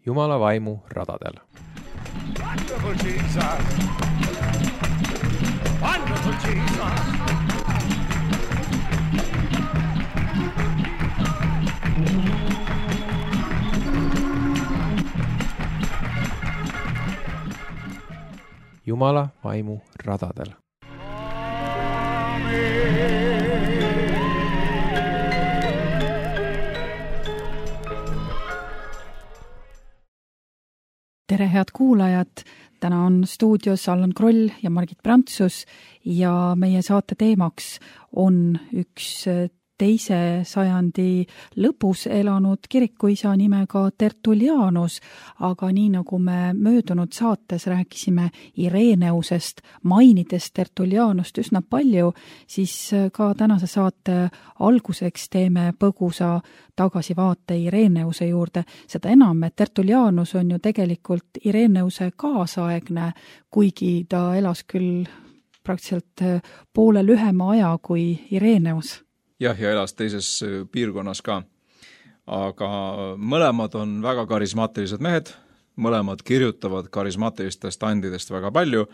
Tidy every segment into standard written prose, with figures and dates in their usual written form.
Jumala vaimu radadel. Wonderful Jesus! Wonderful Jesus! Jumala vaimu radadel. Tere, head kuulajad! Täna on stuudios Allan Kroll ja Margit Prantsus ja meie saate teemaks on üks teise sajandi lõpus elanud kirikuisa nimega Tertullianus, aga nii nagu me möödunud saates rääkisime Ireneusest, mainides Tertullianust üsna palju, siis ka tänase saate alguseks teeme põgusa tagasivaate Ireneuse juurde. Seda enam, et Tertullianus on ju tegelikult Ireneuse kaasaegne, kuigi ta elas küll praktiliselt poole lühema aja kui Ireneus. Jah, ja elas teises piirkonnas ka. Aga mõlemad on väga karismaatilised mehed, mõlemad kirjutavad karismaatilistest andidest väga palju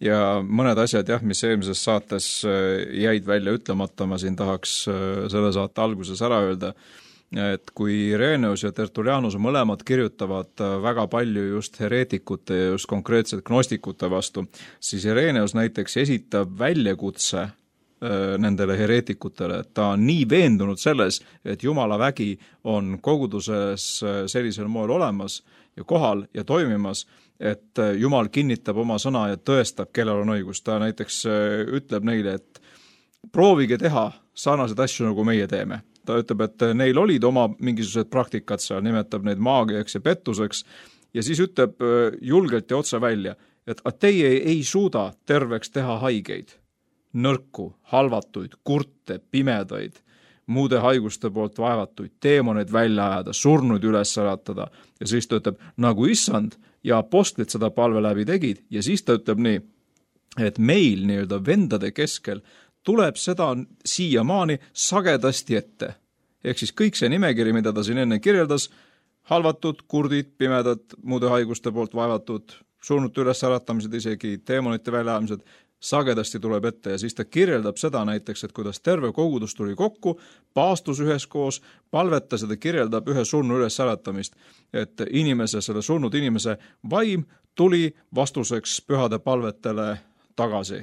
ja mõned asjad, mis eelmises saates jäid välja ütlemata, ma siin tahaks selle saate alguses ära öelda, et kui Ireneus ja Tertullianus mõlemad kirjutavad väga palju just hereetikute ja just konkreetselt gnostikute vastu, siis Ireneus näiteks esitab väljakutse nendele hereetikutele, et ta on nii veendunud selles, et Jumala vägi on koguduses sellisel moel olemas ja kohal ja toimimas, et Jumal kinnitab oma sõna ja tõestab, kellel on õigus. Ta näiteks ütleb neile, et proovige teha sarnaseid asju, nagu meie teeme. Ta ütleb, et neil olid oma mingisugused praktikad seal, nimetab neid maagiaks ja pettuseks ja siis ütleb julgelt ja otse välja, et teie ei suuda terveks teha haigeid, nõrku, halvatuid, kurte, pimedaid, muude haiguste poolt vaevatuid, teemoneid välja ajada, surnuid üles äratada. Ja siis ta ütleb, nagu issand ja apostlid seda palve läbi tegid. Ja siis ta ütleb nii, et meil nii-öelda vendade keskel tuleb seda siiamaani sagedasti ette. Ehk siis kõik see nimekiri, mida ta siin enne kirjeldas, halvatud, kurdid, pimedad, muude haiguste poolt vaevatud, surnute üles äratamised, isegi teemonite väljaajamised, sagedasti tuleb ette ja siis ta kirjeldab seda näiteks, et kuidas terve kogudus tuli kokku, paastus üheskoos, palvetas ja ta kirjeldab ühe surnu üles äratamist, et selle surnud inimese vaim tuli vastuseks pühade palvetele tagasi.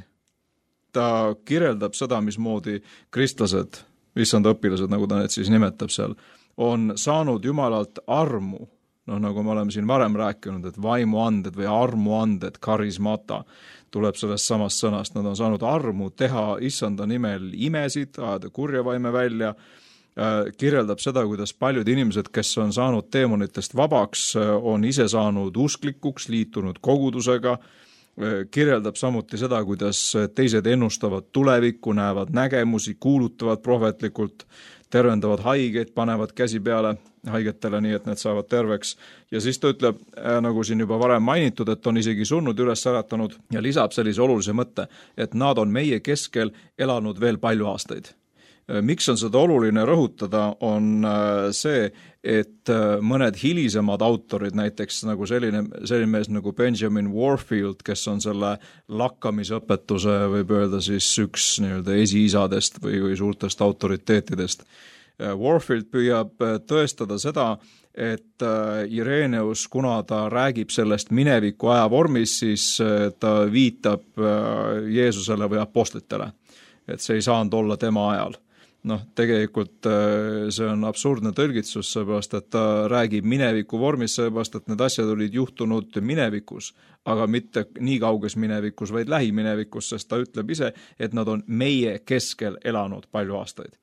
Ta kirjeldab seda, mismoodi kristlased, issanda õpilased, nagu ta need siis nimetab seal, on saanud Jumalalt armu. Nagu me oleme siin varem rääkinud, et vaimuanded või armuanded, karismata, tuleb sellest samast sõnast. Nad on saanud armu teha issanda nimel imesid, ajada kurja vaime välja, kirjeldab seda, kuidas paljud inimesed, kes on saanud teemonitest vabaks, on ise saanud usklikuks, liitunud kogudusega, kirjeldab samuti seda, kuidas teised ennustavad tulevikku, näevad nägemusi, kuulutavad prohvetlikult, tervendavad haigeid, panevad käsi peale haigetele, nii et need saavad terveks. Ja siis ta ütleb, nagu siin juba varem mainitud, et on isegi surnud üles äratanud ja lisab sellise olulise mõtte, et nad on meie keskel elanud veel palju aastaid. Miks on seda oluline rõhutada, on see, et mõned hilisemad autorid, näiteks nagu selline mees nagu Benjamin Warfield, kes on selle lakkamisõpetuse, võib öelda siis üks nii-öelda esiisadest või suurtest autoriteetidest. Warfield püüab tõestada seda, et Ireneus, kuna ta räägib sellest mineviku aja vormis, siis ta viitab Jeesusele või apostlitele, et see ei saanud olla tema ajal. Tegelikult see on absurdne tõlgitsus, seepärast, et ta räägib mineviku vormis, seepärast, et need asjad olid juhtunud minevikus, aga mitte nii kauges minevikus, vaid lähiminevikus, sest ta ütleb ise, et nad on meie keskel elanud palju aastaid.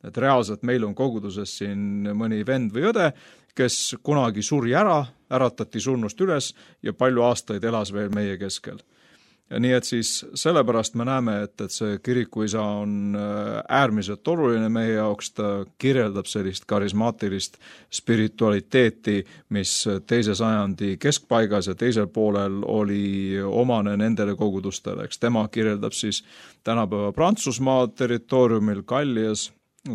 Et reaalselt meil on koguduses siin mõni vend või õde, kes kunagi suri ära, äratati surnust üles ja palju aastaid elas veel meie keskel. Ja nii et siis sellepärast me näeme, et see kirikuisa on äärmiselt oluline meie jaoks, ta kirjeldab sellist karismaatilist spiritualiteeti, mis teise sajandi keskpaigas ja teisel poolel oli omane nendele kogudustele. Eks tema kirjeldab siis tänapäeva Prantsusmaa territooriumil Gallias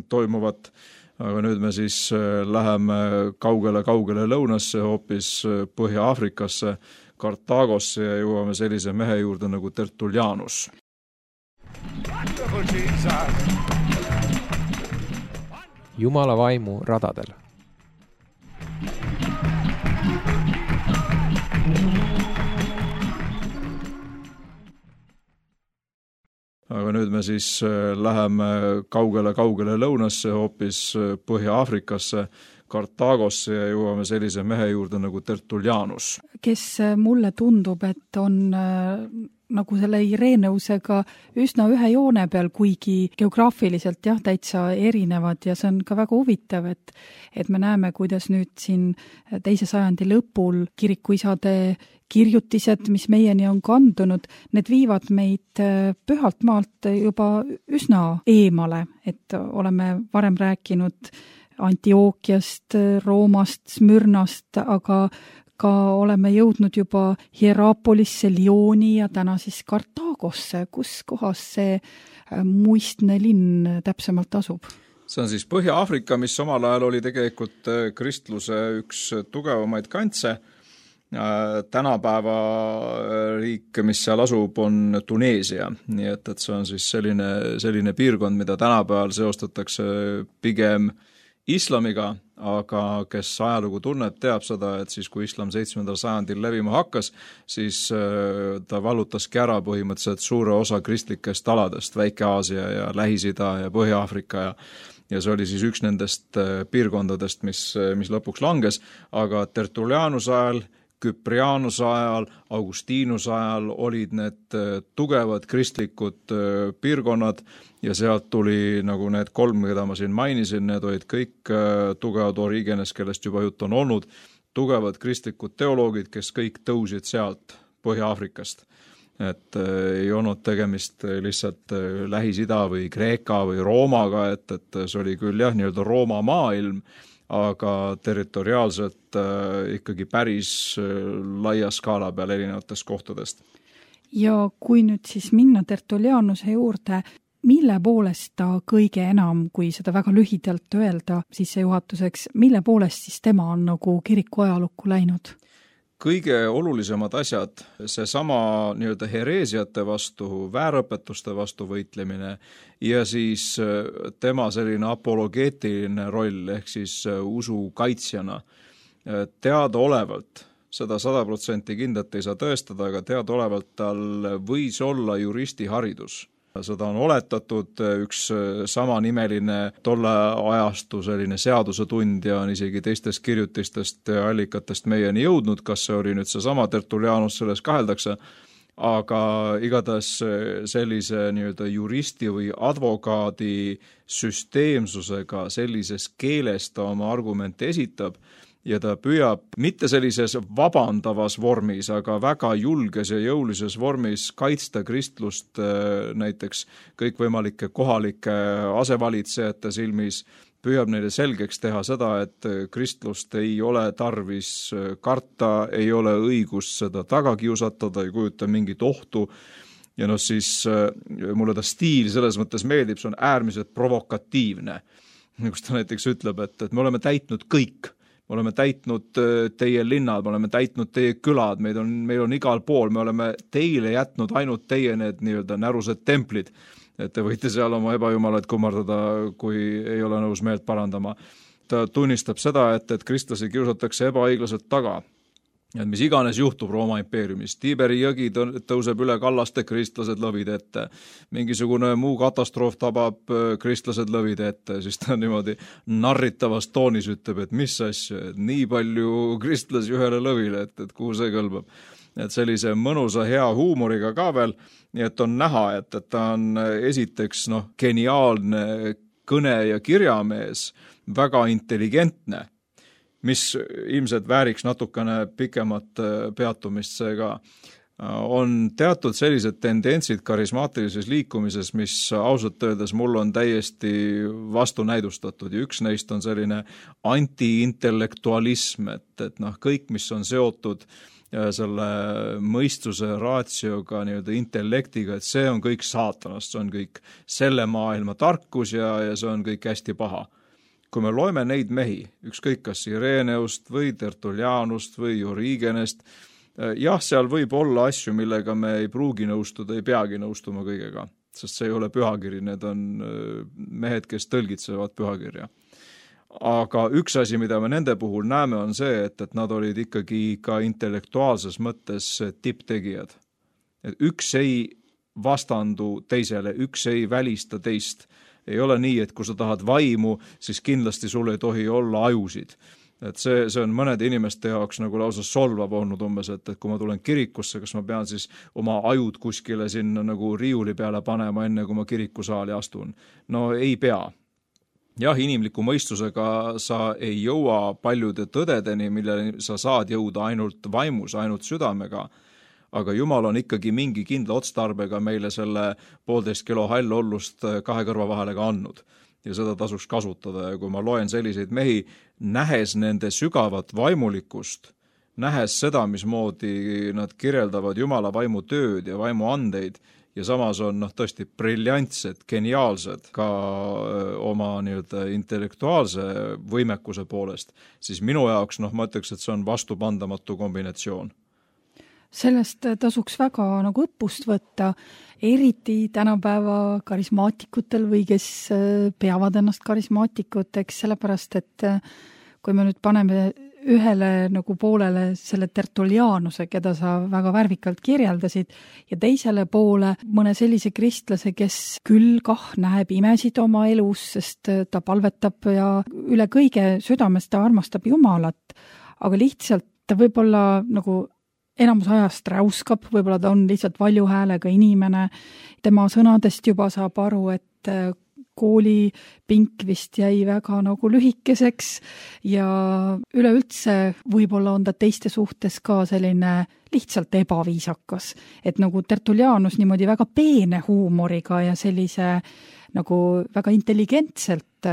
toimuvat aga nüüd me siis läheme kaugele lõunasse, hoopis Põhja-Aafrikasse, Kartaagosse ja jõuame sellise mehe juurde nagu Tertullianus. Wonderful Jesus! Jumala vaimu radadel. Aga nüüd me siis läheme kaugele lõunasse, hoopis Põhja-Aafrikasse, Kartaagosse ja jõuame sellise mehe juurde nagu Tertullianus. Kes mulle tundub, et on nagu selle Ireneusega üsna ühe joone peal, kuigi geograafiliselt täitsa erinevad ja see on ka väga huvitav, et me näeme, kuidas nüüd siin 2. sajandi lõpul kirikuisade kirjutised, mis meieni on kandunud, need viivad meid pühalt maalt juba üsna eemale, et oleme varem rääkinud Antiookiast, Roomast, Smürnast, aga ka oleme jõudnud juba Hierapolisse, Lyoni ja täna siis Kartaagosse, kus kohas see muistne linn täpsemalt asub? See on siis Põhja-Aafrika, mis omal ajal oli tegelikult kristluse üks tugevamaid kantse. Tänapäeva riik, mis seal asub, on Tuneesia, nii et see on siis selline piirkond, mida tänapäeval seostatakse pigem islamiga, aga kes ajalugu tunneb, teab seda, et siis kui islam 7. sajandil levima hakkas, siis ta vallutaski ära põhimõtteliselt suure osa kristlikest aladest, Väike-Aasia ja Lähis-Ida ja Põhja-Aafrika ja see oli siis üks nendest piirkondadest, mis lõpuks langes, aga Tertullianuse ajal, Küprianuse ajal, Augustinuse ajal olid need tugevad kristlikud piirkonnad ja sealt tuli nagu need 3, keda ma siin mainisin, need olid kõik tugevad Origenes, kellest juba jutt on olnud, tugevad kristlikud teoloogid, kes kõik tõusid sealt Põhja-Aafrikast. Et ei olnud tegemist lihtsalt Lähis-Ida või Kreeka või Roomaga, et see oli küll nii-öelda Rooma maailm, aga territoriaalselt ikkagi päris laia skaala peal erinevatest kohtadest. Ja kui nüüd siis minna Tertullianuse juurde, mille poolest ta kõige enam, kui seda väga lühidalt öelda sissejuhatuseks, mille poolest siis tema on nagu kiriku ajalukku läinud? Kõige olulisemad asjad, see sama nii-öelda hereesiate vastu, väärõpetuste vastu võitlemine ja siis tema selline apologeetiline roll ehk siis usu kaitsjana. Teadaolevalt, seda 100% kindlalt ei saa tõestada, aga teadaolevalt tal võis olla juristiharidus. Seda on oletatud, üks samanimeline tolle ajastu selline seadusetundja on isegi teistest kirjutistest ja allikatest meieni jõudnud, kas see oli nüüd see sama Tertullianus, selles kaheldakse, aga igatahes sellise nii-öelda juristi või advokaadi süsteemsusega sellises keeles ta oma argumente esitab, ja ta püüab mitte sellises vabandavas vormis, aga väga julges ja jõulises vormis kaitsta kristlust näiteks kõikvõimalike kohalike asevalitsejate silmis, püüab neile selgeks teha seda, et kristlust ei ole tarvis karta, ei ole õigust seda taga kiusatada, ei kujuta mingit ohtu. Ja siis mulle ta stiil selles mõttes meeldib, see on äärmiselt provokatiivne. Kus ta näiteks ütleb, et me oleme täitnud kõik. Me oleme täitnud teie linnad, me oleme täitnud teie külad, meil on igal pool, me oleme teile jätnud ainult teie need nii-öelda närused templid, et te võite seal oma ebajumalaid kummardada, kui ei ole nõus meelt parandama. Ta tunnistab seda, et kristlasi kiusatakse ebaõiglaselt taga. Et mis iganes juhtub Rooma impeeriumis, Tiiberi jõgi tõuseb üle kallaste, kristlased lõvid ette, mingisugune muu katastroof tabab, kristlased lõvid ette, siis ta niimoodi narritavas toonis ütleb, et mis asja, et nii palju kristlasi ühele lõvile, et kuhu see kõlbab. Et sellise mõnusa hea huumoriga ka veel, nii et on näha, et ta on esiteks geniaalne kõne- ja kirjamees, väga intelligentne, mis ilmselt vääriks natukene pikemat peatumist seega. On teatud sellised tendentsid karismaatilises liikumises, mis ausalt öeldes mul on täiesti vastunäidustatud ja üks neist on selline anti-intellektualism, et kõik, mis on seotud selle mõistuse raatsioga, nii-öelda intellektiga, et see on kõik saatanast, see on kõik selle maailma tarkus ja see on kõik hästi paha. kui me loeme neid mehi, ükskõik kas Ireneust või Tertullianust või Origenest, jah, seal võib olla asju, millega me ei pruugi nõustuda, ei peagi nõustuma kõigega, sest see ei ole pühakiri, need on mehed, kes tõlgitsevad pühakirja. Aga üks asi, mida me nende puhul näeme, on see, et nad olid ikkagi ka intellektuaalses mõttes tipptegijad. Et üks ei vastandu teisele, üks ei välista teist. Ei ole nii, et kui sa tahad vaimu, siis kindlasti sul ei tohi olla ajusid. Et see on mõnede inimeste jaoks nagu lausa solvav olnud umbes, et kui ma tulen kirikusse, kas ma pean siis oma ajud kuskile sinna nagu riiuli peale panema, enne kui ma kirikusaali astun. No ei pea. Jah, inimliku mõistusega sa ei jõua paljude tõdedeni, millele sa saad jõuda ainult vaimus, ainult südamega, aga Jumal on ikkagi mingi kindla otstarbega meile selle 1,5 kilo hallollust 2 kõrva vahele ka andnud ja seda tasuks kasutada. Ja kui ma loen selliseid mehi, nähes nende sügavat vaimulikkust, nähes seda, mismoodi nad kirjeldavad Jumala vaimu tööd ja vaimu andeid ja samas on tõesti briljantsed, geniaalsed ka oma nii-öelda intellektuaalse võimekuse poolest, siis minu jaoks ma ütleks, et see on vastupandamatu kombinatsioon. Sellest tasuks väga nagu õppust võtta, eriti tänapäeva karismaatikutel või kes peavad ennast karismaatikuteks, sellepärast et kui me nüüd paneme ühele nagu poolele selle Tertullianuse, keda sa väga värvikalt kirjeldasid, ja teisele poole mõne sellise kristlase, kes küll näeb imesid oma elus, sest ta palvetab ja üle kõige südames ta armastab Jumalat, aga lihtsalt ta võib-olla nagu enamus ajast räuskab, võib-olla ta on lihtsalt valju häälega inimene. Tema sõnadest juba saab aru, et koolipink vist jäi väga nagu lühikeseks ja üleüldse võib-olla on ta teiste suhtes ka selline lihtsalt ebaviisakas. Et nagu Tertullianus niimoodi väga peene huumoriga ja sellise nagu väga intelligentselt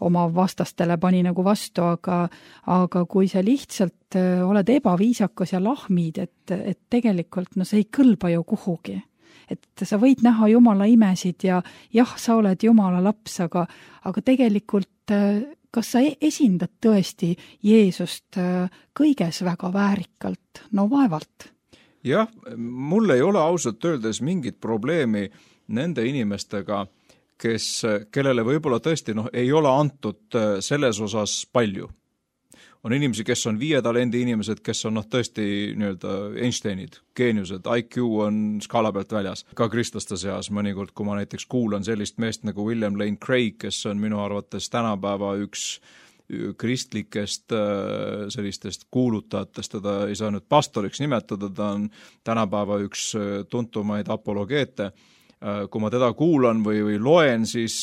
oma vastastele pani nagu vastu, aga kui sa lihtsalt oled ebaviisakas ja lahmid, et tegelikult see ei kõlba ju kuhugi. Et sa võid näha Jumala imesid ja jah, sa oled Jumala laps, aga tegelikult kas sa esindad tõesti Jeesust kõiges väga väärikalt? No vaevalt. Jah, mul ei ole ausalt öeldes mingit probleemi nende inimestega, kellele võib-olla tõesti ei ole antud selles osas palju. On inimesi, kes on 5 talendi inimesed, kes on tõesti nii-öelda Einsteinid, geeniused, IQ on skaala pealt väljas. Ka kristlaste seas mõnikord, kui ma näiteks kuulan sellist meest nagu William Lane Craig, kes on minu arvates tänapäeva üks kristlikest sellistest kuulutajatest, teda ei saa nüüd pastoriks nimetada, ta on tänapäeva üks tuntumaid apologeete. Kui ma teda kuulan või loen, siis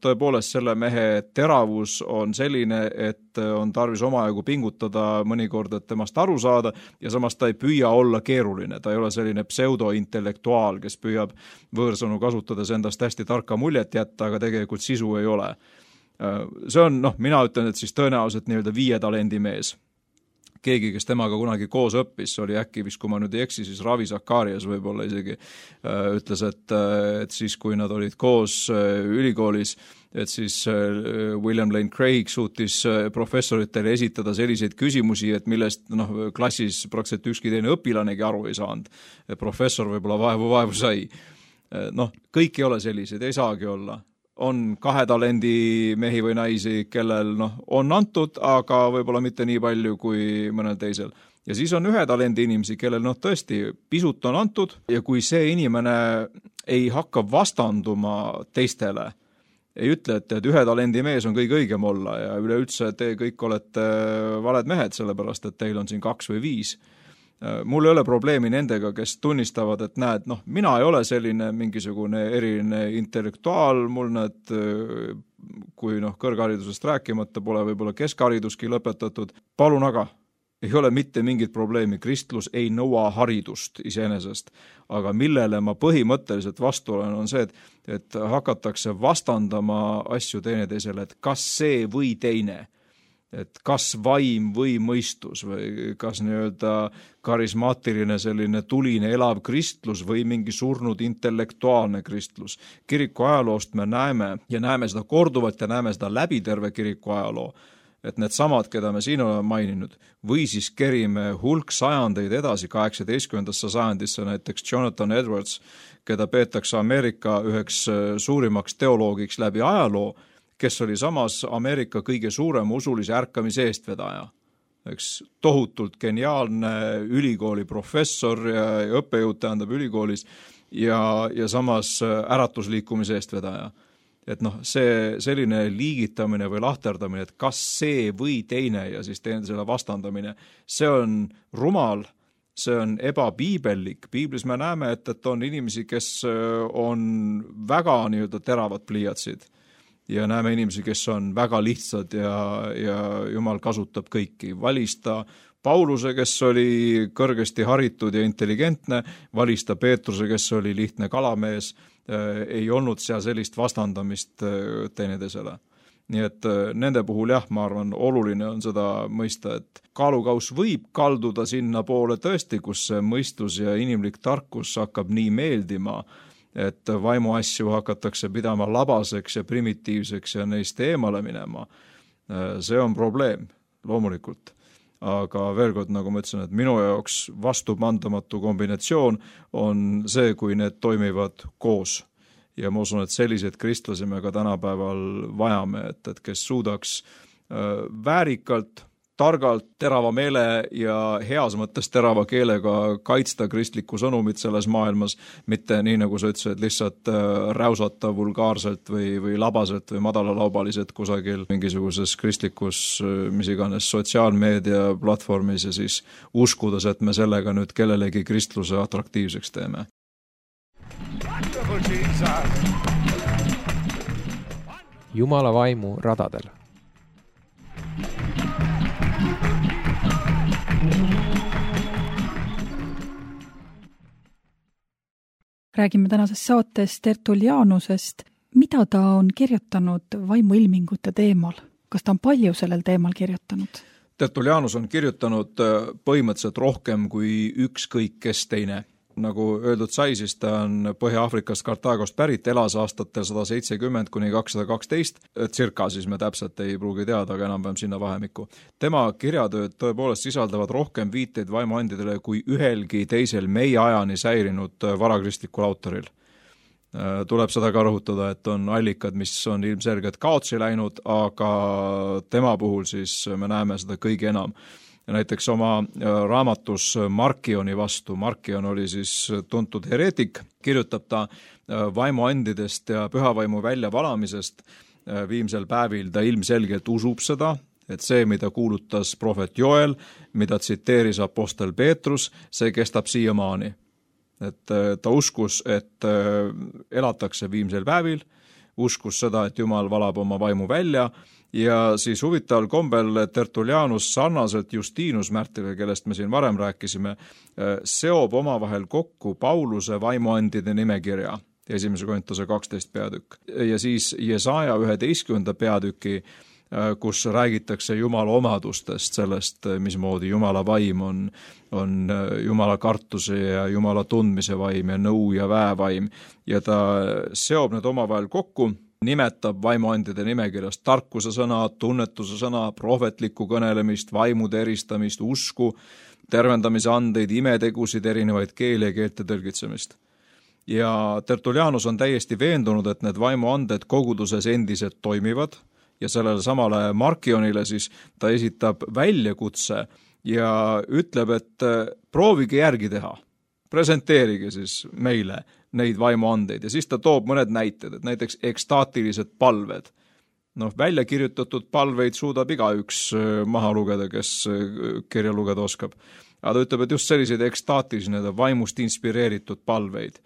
tõepoolest selle mehe teravus on selline, et on tarvis omajagu pingutada mõnikord, et temast aru saada ja samas ta ei püüa olla keeruline. Ta ei ole selline pseudointellektuaal, kes püüab võõrsõnu kasutades endast hästi tarka muljet jätta, aga tegelikult sisu ei ole. See on, mina ütlen, et siis tõenäoliselt nii-öelda 5 talendi mees. Keegi, kes temaga kunagi koos õppis, oli äkki vist, kui ma nüüd ei eksi, siis Ravi Zakarias võib-olla isegi ütles, et siis kui nad olid koos ülikoolis, et siis William Lane Craig suutis professoritele esitada selliseid küsimusi, et millest klassis praktiliselt ükski teine õpilanegi aru ei saanud. Professor võib-olla vaevu sai. Kõik ei ole sellised, ei saagi olla. On 2 talendi mehi või naisi, kellel on antud, aga võib-olla mitte nii palju kui mõnel teisel. Ja siis on 1 talendi inimesi, kellel tõesti pisut on antud ja kui see inimene ei hakka vastanduma teistele, ei ütle, et 1 talendi mees on kõige õigem olla ja üleüldse te kõik olete valed mehed, sellepärast et teil on siin 2 või 5. Mul ei ole probleemi nendega, kes tunnistavad, et näed, mina ei ole selline mingisugune eriline intellektuaal, mul kui kõrgharidusest rääkimata pole võib-olla keskhariduski lõpetatud. Palun aga, ei ole mitte mingit probleemi, kristlus ei nõua haridust iseenesest, aga millele ma põhimõtteliselt vastu olen, on see, et hakatakse vastandama asju teineteisele, et kas see või teine. et kas vaim või mõistus või kas nii-öelda karismaatiline selline tuline elav kristlus või mingi surnud intellektuaalne kristlus. Kiriku ajaloost me näeme ja näeme seda korduvalt ja näeme seda läbi terve kiriku ajaloo, et need samad, keda me siin oleme maininud, või siis kerime hulk sajandeid edasi 18. sajandisse, näiteks Jonathan Edwards, keda peetakse Ameerika üheks suurimaks teoloogiks läbi ajaloo, kes oli samas Ameerika kõige suurem usulise ärkamise eestvedaja. Eks tohutult geniaalne ülikooli professor ja õppejõud tähendab ülikoolis ja samas äratusliikumise eestvedaja. Et see selline liigitamine või lahterdamine, et kas see või teine ja siis teine selle vastandamine, see on rumal, see on ebapiibellik. Piiblis me näeme, et on inimesi, kes on väga nii-öelda teravad pliiatsid ja näeme inimesi, kes on väga lihtsad ja Jumal kasutab kõiki. Valista Pauluse, kes oli kõrgesti haritud ja intelligentne, valista Peetruse, kes oli lihtne kalamees, ei olnud seal sellist vastandamist teineteisele. Nii et nende puhul ma arvan, oluline on seda mõista, et kaalukaus võib kalduda sinna poole tõesti, kus see mõistus ja inimlik tarkus hakkab nii meeldima, et vaimuasju hakatakse pidama labaseks ja primitiivseks ja neist eemale minema. See on probleem, loomulikult. Aga veel kord, nagu ma ütlesin, et minu jaoks vastupandamatu kombinatsioon on see, kui need toimivad koos. Ja ma usun, et selliseid kristlasi me ka tänapäeval vajame, et kes suudaks väärikalt, targalt, terava meele ja heas mõttes terava keelega kaitsta kristlikku sõnumit selles maailmas, mitte nii, nagu sa ütlesid, lihtsalt räusata vulgaarselt või labaselt või madalalaubaliselt kusagil mingisuguses kristlikus, mis iganes, sotsiaalmeedia platvormis ja siis uskudes, et me sellega nüüd kellelegi kristluse atraktiivseks teeme. Jumala vaimu radadel. Räägime tänases saates Tertullianusest. Mida ta on kirjutanud vaimuilmingute teemal? Kas ta on palju sellel teemal kirjutanud? Tertullianus on kirjutanud põhimõtteliselt rohkem kui ükskõik kes teine. Nagu öeldud sai, siis ta on Põhja-Afrikast Kartaagost pärit, elas aastatel 170 kuni 212, circa siis me täpselt ei pruugi teada, aga enam-vähem sinna vahemikku. Tema kirjatööd tõepoolest sisaldavad rohkem viiteid vaimuandidele kui ühelgi teisel meie ajani säilinud varakristlikul autoril. Tuleb seda ka rõhutada, et on allikad, mis on ilmselgelt kaotsi läinud, aga tema puhul siis me näeme seda kõige enam. Ja näiteks oma raamatus Markioni vastu, Markion oli siis tuntud hereetik, kirjutab ta vaimuandidest ja pühavaimu väljavalamisest viimsel päevil. Ta ilmselgelt usub seda, et see, mida kuulutas prohvet Joel, mida tsiteeris apostel Peetrus, see kestab siiamaani. Et ta uskus, et elatakse viimsel päevil, uskus seda, et Jumal valab oma vaimu välja. Ja siis huvitaval kombel Tertullianus sarnaselt Justinus märtrile, kellest me siin varem rääkisime, seob omavahel kokku Pauluse vaimuandide nimekirja, 1. Korintuse 12 peatükk. Ja siis Jesaja 11. peatüki, kus räägitakse Jumala omadustest, sellest, mismoodi Jumala vaim on Jumala kartuse ja Jumala tundmise vaim ja nõu ja väevaim. Ja ta seob need omavahel kokku, nimetab vaimuandide nimekirjast tarkuse sõna, tunnetuse sõna, prohvetlikku kõnelemist, vaimude eristamist, usku, tervendamise andeid, imetegusid, erinevaid keeli ja keelte tõlgitsemist. Ja Tertullianus on täiesti veendunud, et need vaimuanded koguduses endiselt toimivad ja sellele samale Markionile siis ta esitab väljakutse ja ütleb, et proovige järgi teha. Presenteerige siis meile neid vaimuandeid ja siis ta toob mõned näited, et näiteks ekstaatilised palved. Välja kirjutatud palveid suudab igaüks maha lugeda, kes kirja lugeda oskab. Aga ta ütleb, et just selliseid ekstaatilisi, vaimust inspireeritud palveid.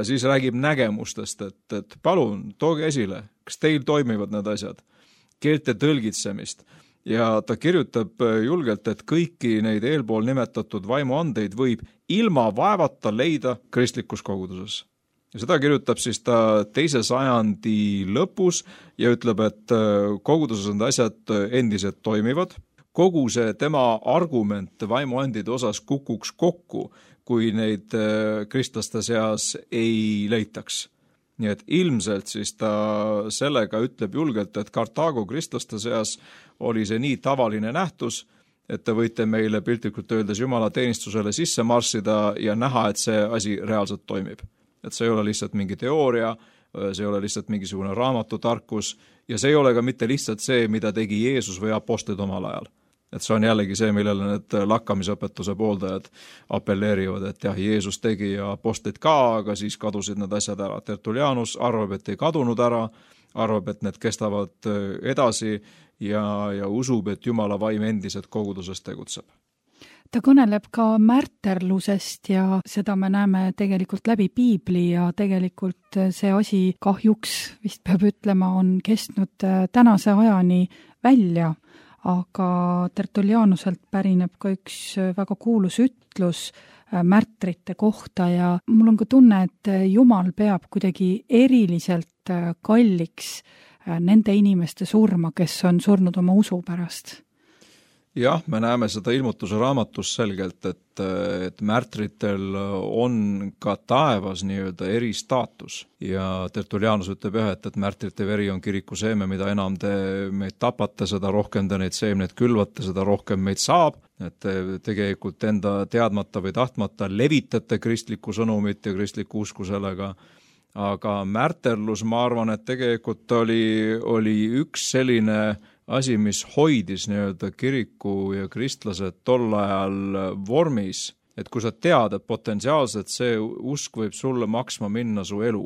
Siis räägib nägemustest, et palun, tooge esile, kas teil toimivad need asjad, keelte tõlgitsemist. Ja ta kirjutab julgelt, et kõiki neid eelpool nimetatud vaimuandeid võib ilma vaevata leida kristlikus koguduses. Ja seda kirjutab siis ta 2. sajandi lõpus ja ütleb, et koguduses on asjad endiselt toimivad. Kogu see tema argument vaimuandide osas kukuks kokku, kui neid kristlaste seas ei leitaks. Nii et ilmselt siis ta sellega ütleb julgelt, et Kartaago kristlaste seas oli see nii tavaline nähtus, et te võite meile piltlikult öeldes Jumala teenistusele sisse marssida ja näha, et see asi reaalselt toimib. Et see ei ole lihtsalt mingi teooria, see ei ole lihtsalt mingisugune raamatutarkus ja see ei ole ka mitte lihtsalt see, mida tegi Jeesus või apostlid omal ajal. Et see on jällegi see, millele need lakkamisõpetuse pooldajad apelleerivad, et jah, Jeesus tegi ja apostlid ka, aga siis kadusid need asjad ära. Tertullianus arvab, et ei kadunud ära, arvab, et need kestavad edasi ja usub, et Jumala vaim endiselt koguduses tegutseb. Ta kõneleb ka märterlusest ja seda me näeme tegelikult läbi piibli ja tegelikult see asi kahjuks, vist peab ütlema, on kestnud tänase ajani välja, aga Tertullianuselt pärineb ka üks väga kuulus ütlus märtrite kohta ja mul on ka tunne, et Jumal peab kuidagi eriliselt kalliks nende inimeste surma, kes on surnud oma usu pärast. Jah, me näeme seda ilmutuse raamatus selgelt, et märtritel on ka taevas nii-öelda eristaatus ja Tertullianus ütleb jah, et märtrite veri on kiriku seeme, mida enam te meid tapate, seda rohkem te neid seemneid külvate, seda rohkem meid saab, et te tegelikult enda teadmata või tahtmata levitate kristlikku sõnumit ja kristlikku usku sellega, aga märterlus, ma arvan, et tegelikult oli üks selline asi, mis hoidis nii-öelda kiriku ja kristlased tol ajal vormis, et kui sa tead, et potentsiaalselt see usk võib sulle maksma minna su elu,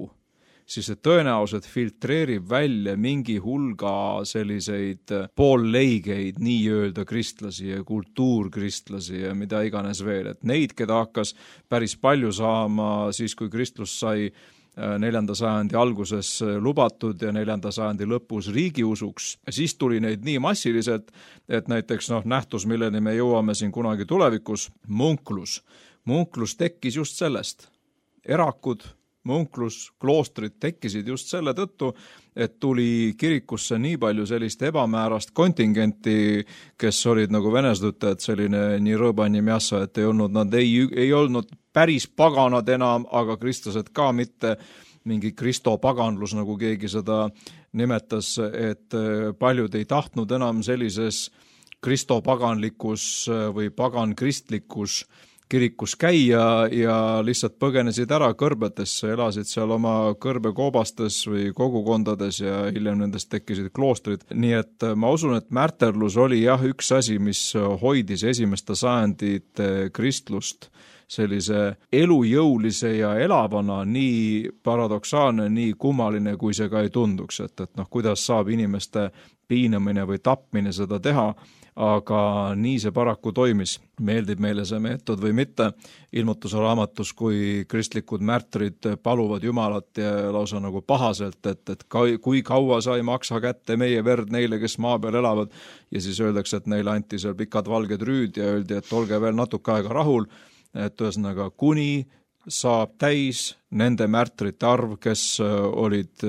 siis see tõenäoliselt filtreerib välja mingi hulga selliseid poolleigeid nii-öelda kristlasi ja kultuurkristlasi ja mida iganes veel, et neid, keda hakkas päris palju saama siis, kui kristlus sai 4. sajandi alguses lubatud ja 4. sajandi lõpus riigiusuks. Siis tuli neid nii massiliselt, et näiteks nähtus, milleni me jõuame siin kunagi tulevikus, munklus. Munklus tekkis just sellest. Erakud, munklus, kloostrid tekkisid just selle tõttu, et tuli kirikusse nii palju sellist ebamäärast kontingenti, kes olid nagu veneslutajad, selline nii rõõbani mjassa, et nad ei olnud päris paganad enam, aga kristlased ka mitte mingi kristopaganlus, nagu keegi seda nimetas, et paljud ei tahtnud enam sellises kristopaganlikus või pagankristlikus kirikus käia ja lihtsalt põgenesid ära kõrbetesse, elasid seal oma kõrbekoobastes või kogukondades ja hiljem nendest tekkisid kloostrid. Nii et ma usun, et märterlus oli jah üks asi, mis hoidis esimeste sajandite kristlust sellise elujõulise ja elavana, nii paradoksaalne, nii kummaline, kui see ka ei tunduks, et kuidas saab inimeste piinamine või tapmine seda teha, aga nii see paraku toimis. Meeldib meile see meetod või mitte, ilmutuse raamatus, kui kristlikud märtrid paluvad Jumalat ja lausa nagu pahaselt, et kui kaua sa ei maksa kätte meie verd neile, kes maa peal elavad, ja siis öeldakse, et neile anti seal pikad valged rüüd ja öeldi, et olge veel natuke aega rahul, et ühesõnaga kuni saab täis nende märtrite arv, kes olid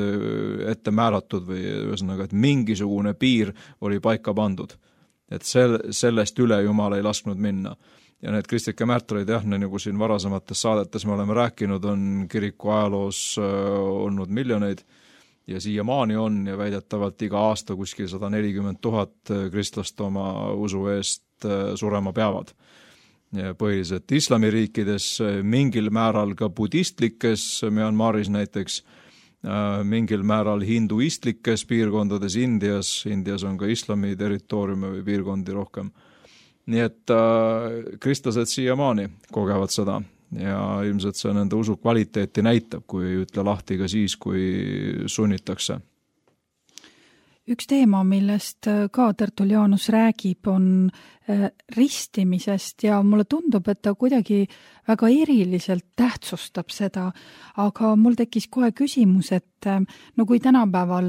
ette määratud või ühesõnaga, et mingisugune piir oli paika pandud. Et sellest üle Jumal ei lasknud minna. Ja need kristlike märtreid, jah, nagu siin varasemates saadetes me oleme rääkinud, on kiriku ajaloos olnud miljoneid ja siiamaani on ja väidetavalt iga aasta kuskil 140 000 kristlast oma usu eest surema peavad. Ja põhiliselt islamiriikides, mingil määral ka budistlikes, Myanmaris näiteks, mingil määral hinduistlikes piirkondades Indias on ka islami territooriume või piirkondi rohkem. Nii et kristlased siiamaani kogevad seda ja ilmselt see nende usu kvaliteeti näitab, kui ei ütle lahti ka siis, kui sunnitakse. Üks teema, millest ka Tertullianus räägib, on ristimisest ja mulle tundub, et ta kuidagi väga eriliselt tähtsustab seda, aga mul tekkis kohe küsimus, et no kui tänapäeval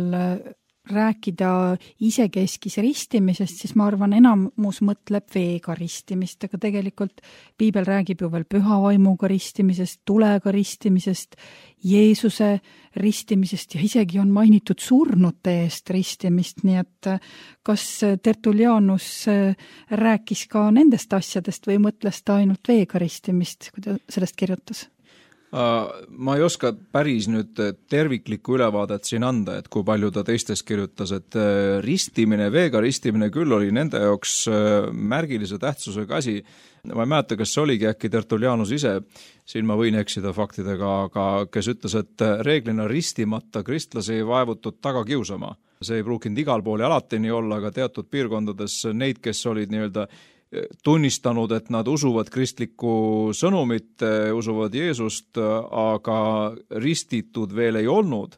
rääkida isekeskis ristimisest, siis ma arvan, enamus mõtleb veega ristimist, aga tegelikult piibel räägib ju veel püha vaimuga ristimisest, tulega ristimisest, Jeesuse ristimisest ja isegi on mainitud surnute eest ristimist, nii et kas Tertullianus rääkis ka nendest asjadest või mõtles ta ainult veega ristimist, kui ta sellest kirjutas? Ma ei oska päris nüüd terviklikku ülevaadet siin anda, et kui palju ta teistest kirjutas, et ristimine, veega ristimine küll oli nende jaoks märgilise tähtsusega asi. Ma ei mäleta, kas see oligi äkki Tertullianus ise, siin ma võin eksida faktidega, aga kes ütles, et reeglina ristimata kristlasi ei vaevutud taga kiusama. See ei pruukinud igal pool ja alati nii olla, aga teatud piirkondades neid, kes olid nii-öelda tunnistanud, et nad usuvad kristlikku sõnumit, usuvad Jeesust, aga ristitud veel ei olnud.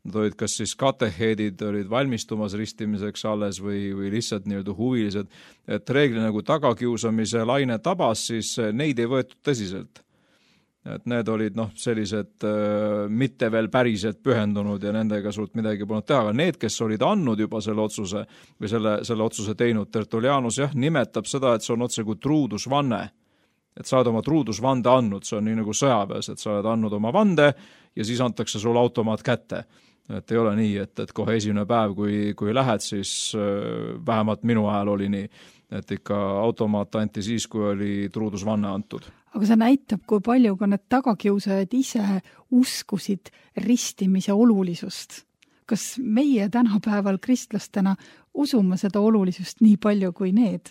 Nad olid kas siis kateheedid, olid valmistumas ristimiseks alles või lihtsalt nii-öelda huvilised, et reeglina kui tagakiusamise laine tabas, siis neid ei võetud tõsiselt. Et need olid sellised mitte veel päriselt pühendunud ja nendega suurt midagi polnud teha, aga need, kes olid andnud juba selle otsuse või selle otsuse teinud, Tertullianus nimetab seda, et see on otse kui truudusvanne. Et sa oled oma truudusvande andnud, see on nii nagu sõjaväes, et sa oled andnud oma vande ja siis antakse sulle automaat kätte. Et ei ole nii, et kohe esimene päev, kui lähed, siis vähemalt minu ajal oli nii, et ikka automaat anti siis, kui oli truudusvanne antud. Aga see näitab, kui palju ka need tagakiusajad ise uskusid ristimise olulisust. Kas meie tänapäeval kristlastena usume seda olulisust nii palju kui need?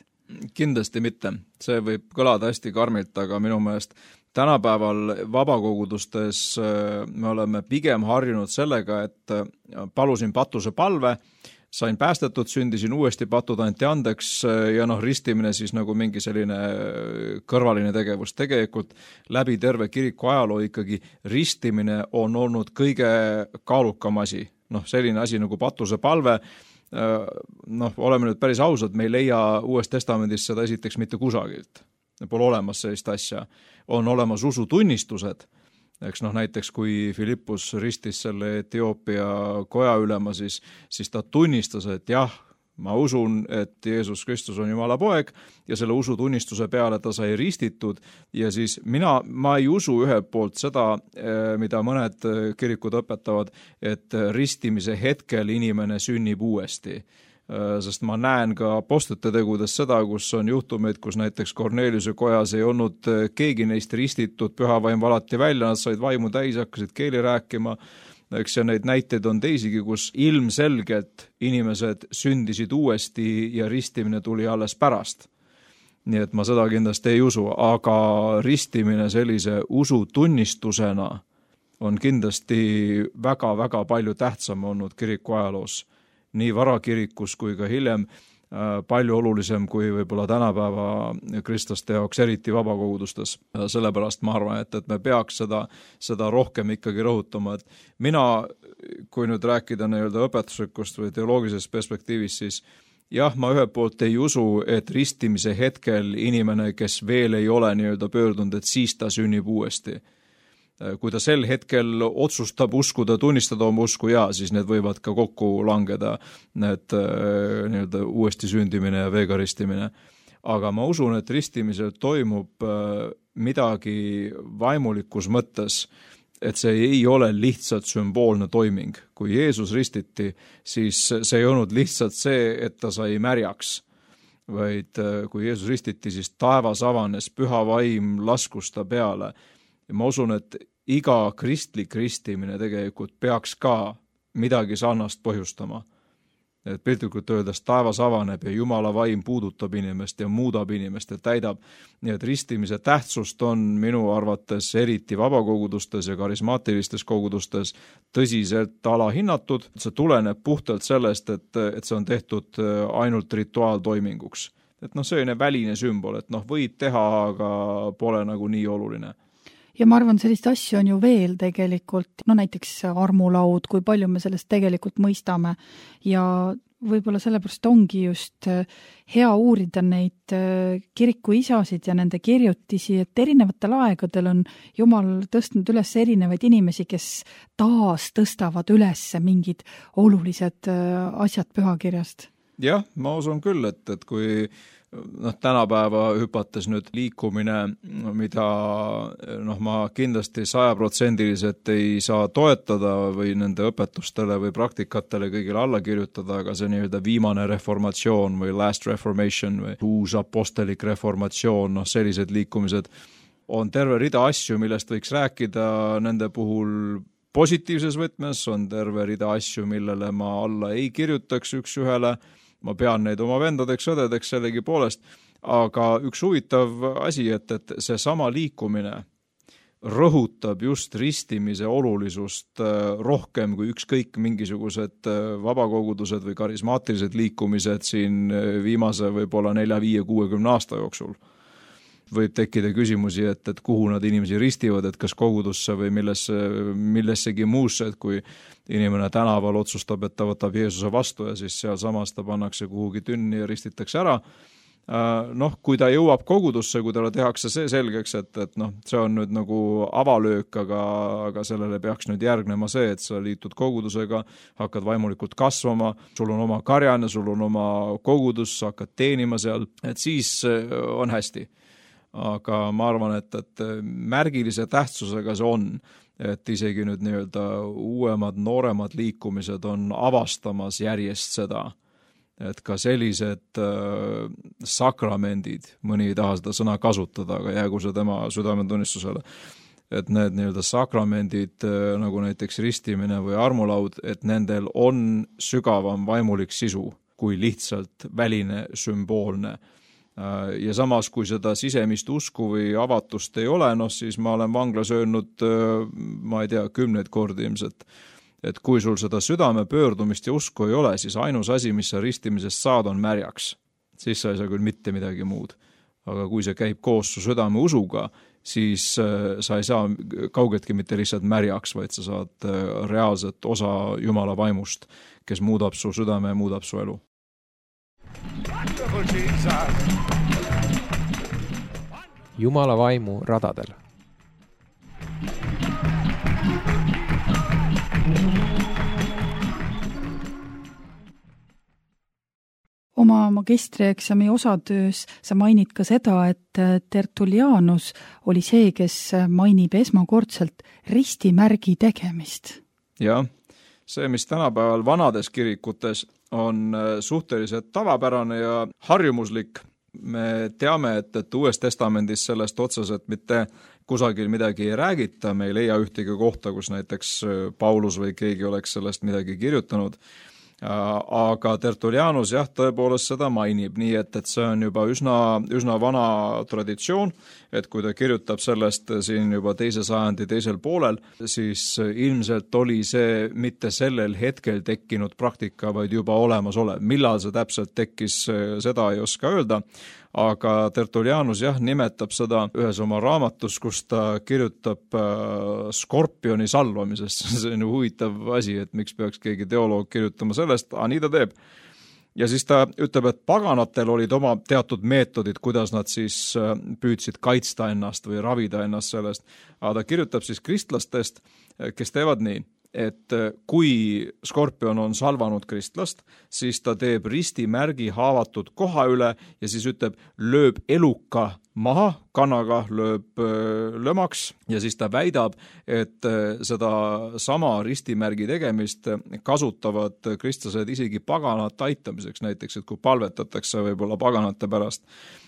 Kindlasti mitte. See võib kõlada hästi karmilt, aga minu meelest tänapäeval vabakogudustes me oleme pigem harjunud sellega, et palusin patuse palve, sain päästetud, sündisin uuesti, patud anti andeks ja ristimine siis nagu mingi selline kõrvaline tegevus. Tegelikult läbi terve kiriku ajaloo ikkagi ristimine on olnud kõige kaalukam asi. Selline asi nagu patuse palve, oleme nüüd päris ausad, me ei leia Uues Testamendis seda esiteks mitte kusagilt. Pole olemas sellist asja. On olemas usutunnistused. Eks näiteks kui Filippus ristis selle Etioopia koja ülema, siis ta tunnistas, et jah, ma usun, et Jeesus Kristus on Jumala poeg ja selle usutunnistuse peale ta sai ristitud ja siis ma ei usu ühelt poolt seda, mida mõned kirikud õpetavad, et ristimise hetkel inimene sünnib uuesti. Sest ma näen ka apostlite tegudes seda, kus on juhtumeid, kus näiteks Korneliuse kojas ei olnud keegi neist ristitud, püha vaim valati välja, nad said vaimu täis, hakkasid keeli rääkima, eks ja neid näiteid on teisigi, kus ilmselgelt inimesed sündisid uuesti ja ristimine tuli alles pärast. Nii et ma seda kindlasti ei usu, aga ristimine sellise usutunnistusena on kindlasti väga-väga palju tähtsam olnud kiriku ajaloos. Nii varakirikus kui ka hiljem palju olulisem kui võib-olla tänapäeva kristlaste jaoks, eriti vabakogudustes. Sellepärast ma arvan, et me peaks seda rohkem ikkagi rõhutama. Et mina, kui nüüd rääkida nii-öelda õpetuslikust või teoloogilisest perspektiivist, siis jah, ma ühelt poolt ei usu, et ristimise hetkel inimene, kes veel ei ole nii-öelda pöördunud, et siis ta sünnib uuesti. Kui ta sel hetkel otsustab uskuda, tunnistada oma usku, siis need võivad ka kokku langeda, need nii-öelda uuesti sündimine ja veega ristimine. Aga ma usun, et ristimisel toimub midagi vaimulikus mõttes, et see ei ole lihtsalt sümboolne toiming. Kui Jeesus ristiti, siis see ei olnud lihtsalt see, et ta sai märjaks, vaid kui Jeesus ristiti, siis taevas avanes, püha vaim laskus ta peale. Ja ma usun, et iga kristlik ristimine tegelikult peaks ka midagi sarnast põhjustama. Et piltlikult öeldes taevas avaneb ja Jumala vaim puudutab inimest ja muudab inimest ja täidab. Nii et ristimise tähtsust on minu arvates eriti vabakogudustes ja karismaatilistes kogudustes tõsiselt alahinnatud. See tuleneb puhtalt sellest, et see on tehtud ainult rituaaltoiminguks. Et selline väline sümbol, et võid teha, aga pole nagu nii oluline. Ja ma arvan, sellist asju on ju veel tegelikult, näiteks armulaud, kui palju me sellest tegelikult mõistame ja võib-olla sellepärast ongi just hea uurida neid kirikuisasid ja nende kirjutisi, et erinevatel aegadel on Jumal tõstnud üles erinevaid inimesi, kes taas tõstavad üles mingid olulised asjad pühakirjast. Jah, ma usun küll, et kui tänapäeva hüpates nüüd liikumine, mida ma kindlasti 100% ei saa toetada või nende õpetustele või praktikatele kõigile alla kirjutada, aga see nii-öelda viimane reformatsioon või last reformation või uus apostelik reformatsioon, sellised liikumised, on terve rida asju, millest võiks rääkida nende puhul positiivses võtmes, on terve rida asju, millele ma alla ei kirjutaks üks ühele. Ma pean neid oma vendadeks, õdedeks sellegi poolest, aga üks huvitav asi, et see sama liikumine rõhutab just ristimise olulisust rohkem kui ükskõik mingisugused vabakogudused või karismaatilised liikumised siin viimase võib-olla 4-5-60 aasta jooksul. Võib tekkida küsimusi, et kuhu nad inimesi ristivad, et kas kogudusse või millessegi muusse, et kui inimene tänaval otsustab, et ta võtab Jeesuse vastu ja siis seal samas ta pannakse kuhugi tünni ja ristitakse ära. Kui ta jõuab kogudusse, kui talle tehakse see selgeks, et see on nüüd nagu avalöök, aga sellele peaks nüüd järgnema see, et sa liitud kogudusega, hakkad vaimulikult kasvama, sul on oma karjane, sul on oma kogudus, sa hakkad teenima seal, et siis on hästi. Aga ma arvan, et märgilise tähtsusega see on, et isegi nüüd nii-öelda uuemad, nooremad liikumised on avastamas järjest seda, et ka sellised sakramendid, mõni ei taha seda sõna kasutada, aga jäägu see tema südametunnistusele, et need nii-öelda sakramendid, nagu näiteks ristimine või armulaud, et nendel on sügavam vaimulik sisu kui lihtsalt väline sümboolne. Ja samas, kui seda sisemist usku või avatust ei ole, siis ma olen vanglas öelnud, ma ei tea, 10 kordi ilmselt, et kui sul seda südame pöördumist ja usku ei ole, siis ainus asi, mis sa ristimisest saad, on märjaks. Siis sa ei saa küll mitte midagi muud. Aga kui see käib koos su südame usuga, siis sa ei saa kaugetki mitte lihtsalt märjaks, vaid sa saad reaalset osa Jumala vaimust, kes muudab su südame ja muudab su elu. Jumala vaimu radadel. Oma magistrieksami osatöös sa mainid ka seda, et Tertullianus oli see, kes mainib esmakordselt ristimärgi tegemist. Jah, see, mis tänapäeval vanades kirikutes on suhteliselt tavapärane ja harjumuslik. Me teame, et Uues Testamendis sellest otseselt mitte kusagil midagi ei räägita, me ei leia ühtegi kohta, kus näiteks Paulus või keegi oleks sellest midagi kirjutanud. Aga Tertullianus tõepoolest seda mainib, nii et see on juba üsna vana traditsioon, et kui ta kirjutab sellest siin juba 2. sajandi teisel poolel, siis ilmselt oli see mitte sellel hetkel tekkinud praktika, vaid juba olemasolev. Millal see täpselt tekkis, seda ei oska öelda, aga Tertullianus nimetab seda ühes oma raamatus, kus ta kirjutab skorpioni salvamisest. See on huvitav asi, et miks peaks keegi teoloog kirjutama sellest, nii ta teeb. Ja siis ta ütleb, et paganatel olid oma teatud meetodid, kuidas nad siis püüdsid kaitsta ennast või ravida ennast sellest. Aga ta kirjutab siis kristlastest, kes teevad nii, et kui skorpion on salvanud kristlast, siis ta teeb ristimärgi haavatud koha üle ja siis ütleb, lööb eluka maha, kanaga lööb lömaks ja siis ta väidab, et seda sama ristimärgi tegemist kasutavad kristlased isegi paganat aitamiseks, näiteks, et kui palvetatakse võib-olla paganate pärast,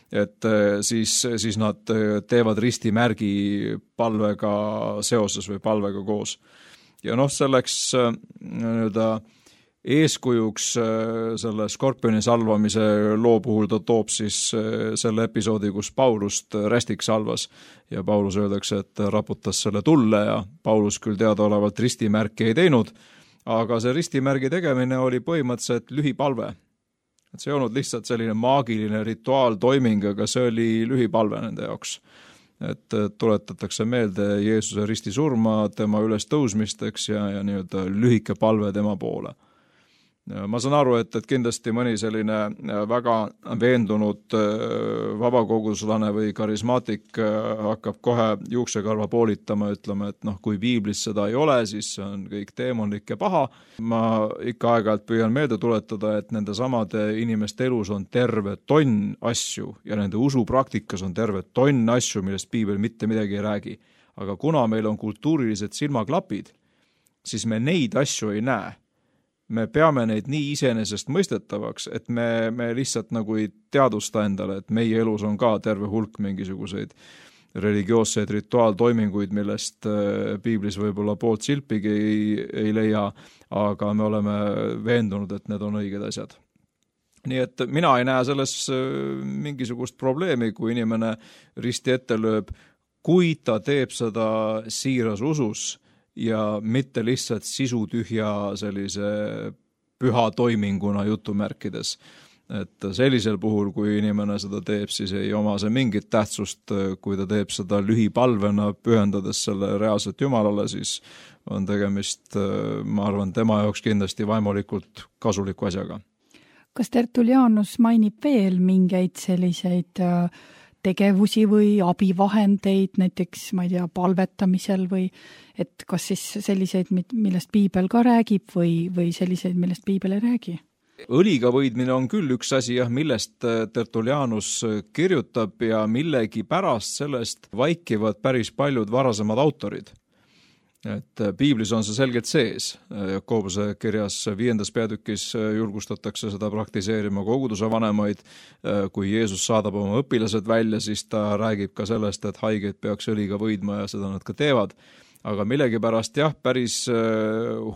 et siis nad teevad ristimärgi palvega seoses või palvega koos. Ja selleks eeskujuks selle skorpioni salvamise loo puhul ta toob siis selle episoodi, kus Paulust rästik salvas ja Paulus öeldakse, et raputas selle tulle ja Paulus küll teadaolevalt ristimärki ei teinud, aga see ristimärgi tegemine oli põhimõtteliselt lühipalve. Et see ei olnud lihtsalt selline maagiline rituaaltoiming, aga see oli lühipalve nende jaoks. Et tuletatakse meelde Jeesuse risti surma, tema üles tõusmisteks ja nii-öelda lühike palve tema poole. Ma saan aru, et kindlasti mõni selline väga veendunud vabakoguslane või karismaatik hakkab kohe juuksekarva poolitama, ütlema, et kui piiblis seda ei ole, siis see on kõik teemonlik ja paha. Ma ikka aeg-ajalt püüan meelde tuletada, et nende samade inimeste elus on terve tonn asju ja nende usupraktikas on terve tonn asju, millest piibel mitte midagi ei räägi. Aga kuna meil on kultuurilised silmaklapid, siis me neid asju ei näe. Me peame neid nii iseenesest mõistetavaks, et me lihtsalt nagu ei teadvusta endale, et meie elus on ka terve hulk mingisuguseid religioosseid rituaaltoiminguid, millest piiblis võib-olla poolt silpigi ei leia, aga me oleme veendunud, et need on õiged asjad. Nii et mina ei näe selles mingisugust probleemi, kui inimene risti ette lööb, kui ta teeb seda siiras usus, ja mitte lihtsalt sisutühja sellise püha toiminguna jutumärkides. Et sellisel puhul, kui inimene seda teeb, siis ei oma see mingit tähtsust, kui ta teeb seda lühipalvena, pühendades selle reaalselt Jumalale, siis on tegemist, ma arvan, tema jaoks kindlasti vaimulikult kasuliku asjaga. Kas Tertulianus mainib veel mingeid selliseid tegevusi või abivahendeid, näiteks, ma ei tea, palvetamisel või et kas siis selliseid, millest piibel ka räägib või selliseid, millest piibel ei räägi? Õliga võidmine on küll üks asi, millest Tertulianus kirjutab ja millegi pärast sellest vaikivad päris paljud varasemad autorid. Et piiblis on see selgelt sees. Jakobuse kirjas 5. peatükis julgustatakse seda praktiseerima koguduse vanemaid. Kui Jeesus saadab oma õpilased välja, siis ta räägib ka sellest, et haigeid peaks õliga võidma ja seda nad ka teevad. Aga millegipärast päris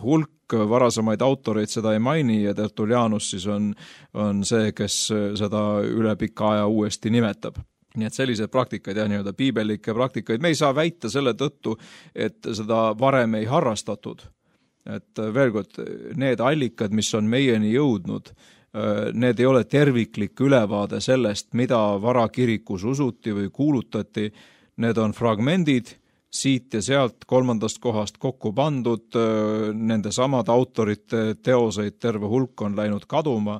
hulk varasemaid autoreid seda ei maini ja Tertulianus siis on see, kes seda üle pika aja uuesti nimetab. Nii et sellised praktikaid nii-öelda piibelikke praktikaid me ei saa väita selle tõttu, et seda varem ei harrastatud. Et veel kord, need allikad, mis on meieni jõudnud, need ei ole terviklik ülevaade sellest, mida varakirikus usuti või kuulutati. Need on fragmendid siit ja sealt 3. kohast kokku pandud, nende samad autorite teoseid terve hulk on läinud kaduma,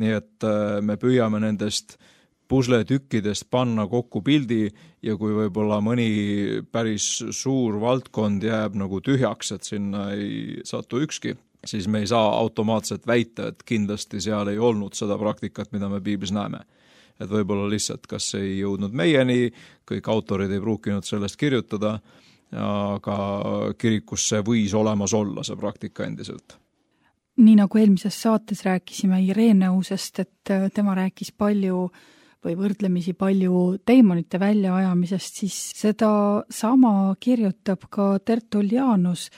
nii et me püüame nendest pusletükkidest panna kokku pildi ja kui võib-olla mõni päris suur valdkond jääb nagu tühjaks, et sinna ei satu ükski, siis me ei saa automaatselt väita, et kindlasti seal ei olnud seda praktikat, mida me piiblis näeme. Et võib-olla lihtsalt, kas ei jõudnud meieni, kõik autorid ei pruukinud sellest kirjutada, aga kirikus see võis olemas olla, see praktika endiselt. Nii nagu eelmises saates rääkisime Ireneusest, et tema rääkis palju või võrdlemisi palju teemonite väljaajamisest, siis seda sama kirjutab ka Tertulianus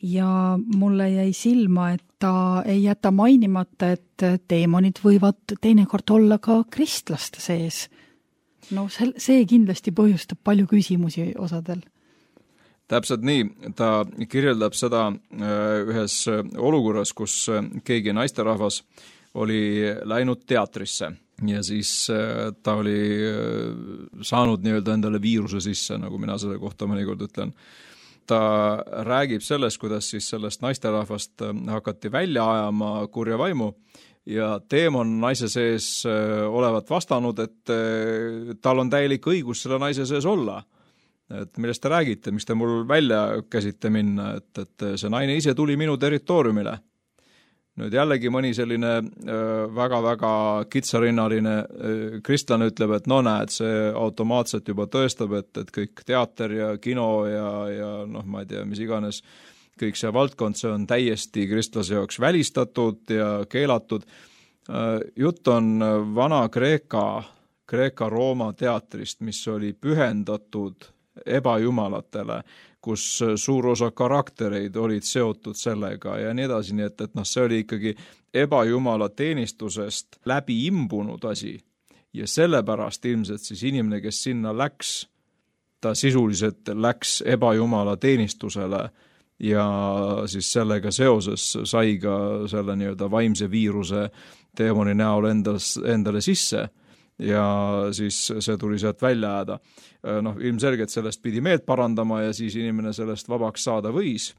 ja mulle jäi silma, et ta ei jäta mainimata, et teemonid võivad teinekord olla ka kristlaste sees. No see kindlasti põhjustab palju küsimusi osadel. Täpselt nii, ta kirjeldab seda ühes olukorras, kus keegi naisterahvas oli läinud teatrisse ja siis ta oli saanud nii-öelda endale viiruse sisse, nagu mina selle kohta mõnikord ütlen. Ta räägib sellest, kuidas siis sellest naisterahvast hakati välja ajama kurja vaimu ja teemon naise sees olevat vastanud, et tal on täielik õigus selle naise sees olla. Et millest te räägite, miks te mul välja käsite minna, et see naine ise tuli minu territooriumile. Nüüd jällegi mõni selline väga-väga kitsarinnaline kristlane ütleb, et no näed, see automaatselt juba tõestab, et kõik teater ja kino ja ma ei tea, mis iganes, kõik see valdkond, see on täiesti kristlase jaoks välistatud ja keelatud. Jutt on vana Kreeka-Rooma teatrist, mis oli pühendatud ebajumalatele, kus suur osa karaktereid olid seotud sellega ja nii edasi, nii et see oli ikkagi ebajumala teenistusest läbi imbunud asi ja sellepärast ilmselt siis inimene, kes sinna läks, ta sisuliselt läks ebajumala teenistusele ja siis sellega seoses sai ka selle nii-öelda vaimse viiruse teemoni näol endale sisse ja siis see tuli sealt välja jääda. Ilmselgelt sellest pidi meelt parandama ja siis inimene sellest vabaks saada võis.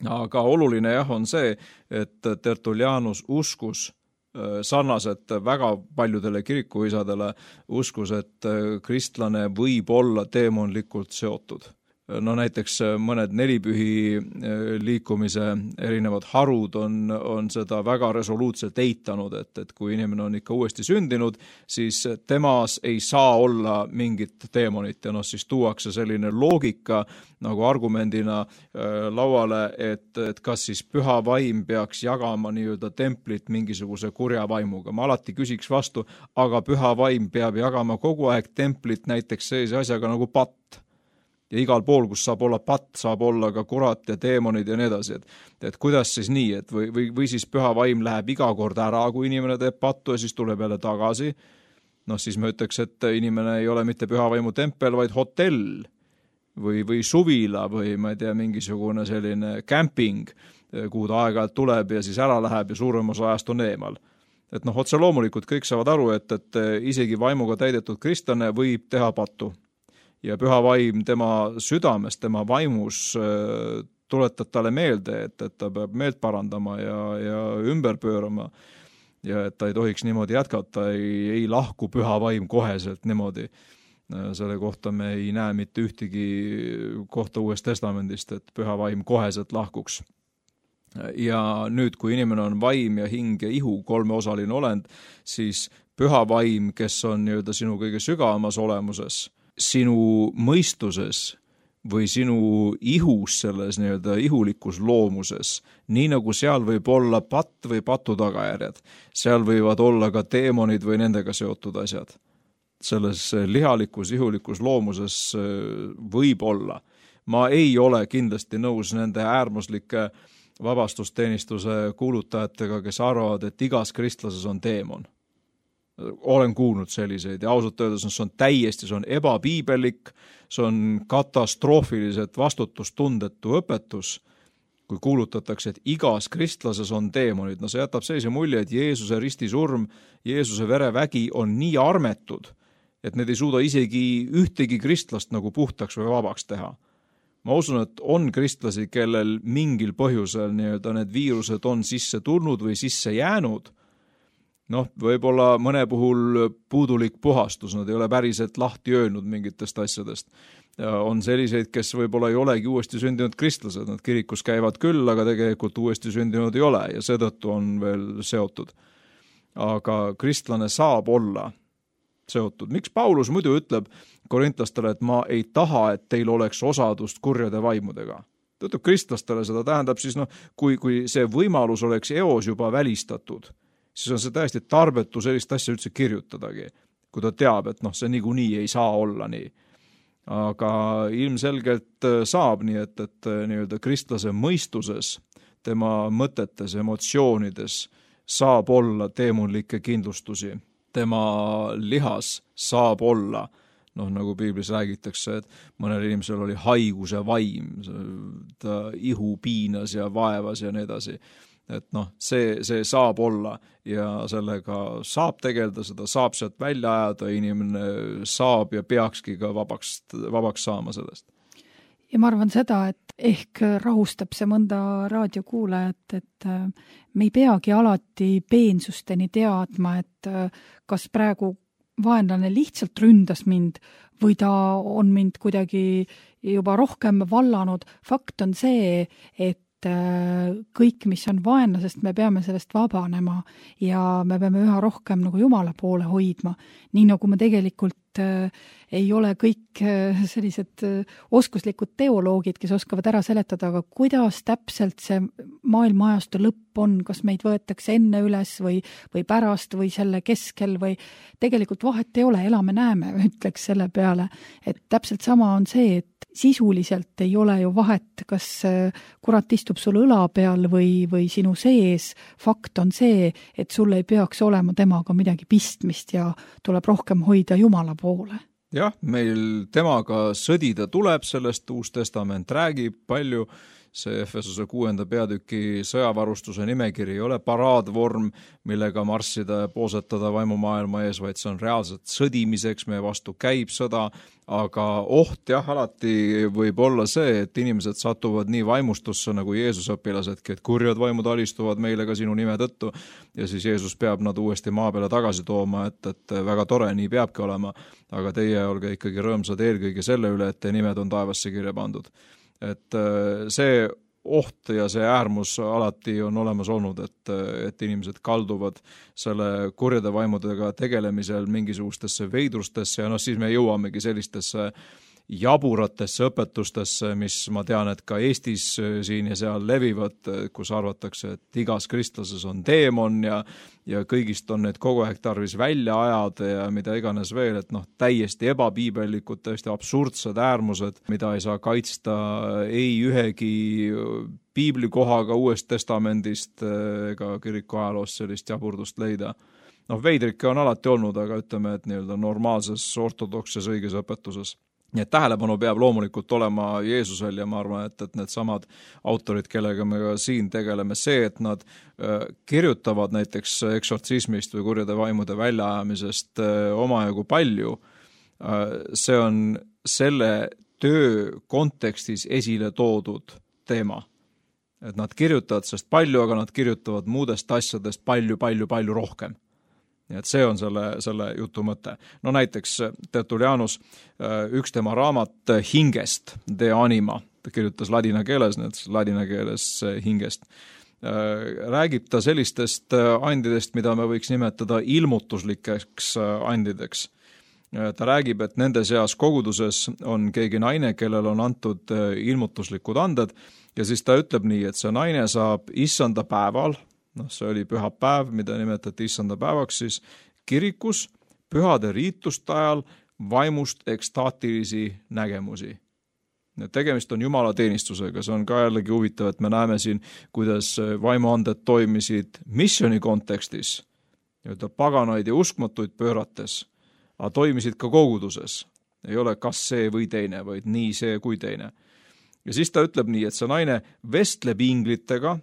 Aga oluline jah on see, et Tertullianus uskus sarnaselt väga paljudele kirikuisadele uskus, et kristlane võib olla teemonlikult seotud. No näiteks mõned nelipühi liikumise erinevad harud on seda väga resoluutselt eitanud, et kui inimene on ikka uuesti sündinud, siis temas ei saa olla mingit teemonit ja siis tuuakse selline loogika nagu argumendina lauale, et kas siis püha vaim peaks jagama nii-öelda templit mingisuguse kurja vaimuga. Ma alati küsiks vastu, aga püha vaim peab jagama kogu aeg templit näiteks sellise asjaga nagu patt. Ja igal pool, kus saab olla patt, saab olla ka kurat ja teemonid ja nii edasi. Et kuidas siis nii, et või siis püha vaim läheb iga kord ära, kui inimene teeb pattu ja siis tuleb jälle tagasi. Siis me ütleks, et inimene ei ole mitte püha vaimu tempel, vaid hotell või suvila või ma ei tea, mingisugune selline camping, kuhu ta aeg-ajalt tuleb ja siis ära läheb ja suurem osa ajast on eemal. Et otse loomulikult kõik saavad aru, et isegi vaimuga täidetud kristlane võib teha pattu. Ja püha vaim tema südames, tema vaimus tuletab talle meelde, et ta peab meelt parandama ja ümber pöörama ja et ta ei tohiks niimoodi jätkata, ei lahku püha vaim koheselt niimoodi. Selle kohta me ei näe mitte ühtegi kohta Uuest Testamendist, et püha vaim koheselt lahkuks. Ja nüüd, kui inimene on vaim ja hing ja ihu kolmeosaline olend, siis püha vaim, kes on nii-öelda sinu kõige sügavamas olemuses, sinu mõistuses või sinu ihus selles nii-öelda ihulikus loomuses, nii nagu seal võib olla patt või patu tagajärjed, seal võivad olla ka teemonid või nendega seotud asjad. Selles lihalikus, ihulikus loomuses võib olla. Ma ei ole kindlasti nõus nende äärmuslike vabastusteenistuse kuulutajatega, kes arvavad, et igas kristlases on teemon. Olen kuulnud selliseid ja ausalt öeldes see on täiesti, see on ebapiibelik, see on katastroofiliselt vastutustundetu õpetus, kui kuulutatakse, et igas kristlases on teemonid. See jätab sellise mulje, et Jeesuse ristisurm, Jeesuse verevägi on nii armetud, et need ei suuda isegi ühtegi kristlast nagu puhtaks või vabaks teha. Ma usun, et on kristlasi, kellel mingil põhjusel nii-öelda need viirused on sisse tulnud või sisse jäänud. Võib-olla mõne puhul puudulik puhastus, nad ei ole päriselt lahti öelnud mingitest asjadest. Ja on selliseid, kes võib-olla ei olegi uuesti sündinud kristlased, nad kirikus käivad küll, aga tegelikult uuesti sündinud ei ole ja seetõttu on veel seotud. Aga kristlane saab olla seotud. Miks Paulus muidu ütleb korintlastele, et ma ei taha, et teil oleks osadust kurjade vaimudega? Ta ütleb kristlastele, seda tähendab siis, kui see võimalus oleks eos juba välistatud, siis on see täiesti tarbetu sellist asja üldse kirjutadagi, kui ta teab, et see niikuinii ei saa olla nii. Aga ilmselgelt saab nii, et nii-öelda kristlase mõistuses, tema mõtetes, emotsioonides saab olla teemonlikke kindlustusi. Tema lihas saab olla, nagu piiblis räägitakse, et mõnel inimesel oli haiguse vaim, ta ihu piinas ja vaevas ja nii edasi. Et see saab olla ja sellega saab tegeleda, seda saab sealt välja ajada, inimene saab ja peakski ka vabaks saama sellest. Ja ma arvan seda, et ehk rahustab see mõnda raadiokuulajat, et me ei peagi alati peensusteni teadma, et kas praegu vaenlane lihtsalt ründas mind või ta on mind kuidagi juba rohkem vallanud. Fakt on see, et kõik, mis on vaenlasest, me peame sellest vabanema ja me peame üha rohkem nagu Jumala poole hoidma. Nii nagu me tegelikult ei ole kõik sellised oskuslikud teoloogid, kes oskavad ära seletada, aga kuidas täpselt see maailmaajastu lõpp on, kas meid võetakse enne üles või pärast või selle keskel või tegelikult vahet ei ole, elame näeme, ütleks selle peale. Et täpselt sama on see, et sisuliselt ei ole ju vahet, kas kurat istub sul õla peal või sinu sees. Fakt on see, et sul ei peaks olema temaga midagi pistmist ja tuleb rohkem hoida Jumala poole. Jah, meil temaga sõdida tuleb, sellest Uus Testament räägib palju see Efesose 6. peatüki sõjavarustuse nimekiri ei ole paraadvorm, millega marssida ja poosetada vaimumaailma ees, vaid see on reaalselt sõdimiseks, meie vastu käib sõda, aga oht jah, alati võib olla see, et inimesed satuvad nii vaimustusse nagu Jeesuse õpilasedki, et kurjad vaimud alistuvad meile ka sinu nime tõttu ja siis Jeesus peab nad uuesti maa peale tagasi tooma, et väga tore, nii peabki olema, aga teie olge ikkagi rõõmsad eelkõige selle üle, et teie nimed on taevasse kirja pandud. Et see oht ja see äärmus alati on olemas olnud, et inimesed kalduvad selle kurjade vaimudega tegelemisel mingisugustesse veidrustesse ja siis me jõuamegi sellistesse jaburatesse õpetustesse, mis ma tean, et ka Eestis siin ja seal levivad, kus arvatakse, et igas kristlases on teemon ja kõigist on need kogu aeg tarvis välja ajada ja mida iganes veel, et täiesti ebapiibellikud, täiesti absurdsed äärmused, mida ei saa kaitsta ei ühegi piiblikohaga Uuest Testamendist ega kiriku ajaloost sellist jaburdust leida. Veidrikke on alati olnud, aga ütleme, et nii-öelda normaalses, ortodokses, õiges õpetuses. Nii et tähelepanu peab loomulikult olema Jeesusel ja ma arvan, et need samad autorid, kellega me ka siin tegeleme, see, et nad kirjutavad näiteks eksortsismist või kurjade vaimude väljaajamisest omajagu palju, see on selle töö kontekstis esile toodud teema. Et nad kirjutavad sellest palju, aga nad kirjutavad muudest asjadest palju rohkem. Nii et see on selle jutu mõte. Näiteks Tertullianus, üks tema raamat Hingest, De Anima, ta kirjutas ladina keeles, ladina keeles hingest, räägib ta sellistest andidest, mida me võiks nimetada ilmutuslikeks andideks. Ta räägib, et nende seas koguduses on keegi naine, kellel on antud ilmutuslikud anded ja siis ta ütleb nii, et see naine saab issanda päeval, see oli pühapäev, mida nimetati issanda päevaks, siis kirikus pühade riituste ajal vaimust ekstaatilisi nägemusi. Tegemist on Jumala teenistusega, see on ka jällegi huvitav, et me näeme siin, kuidas vaimuanded toimisid missiooni kontekstis, paganaid ja uskmatuid pöörates, aga toimisid ka koguduses. Ei ole kas see või teine, vaid nii see kui teine. Ja siis ta ütleb nii, et see naine vestleb inglitega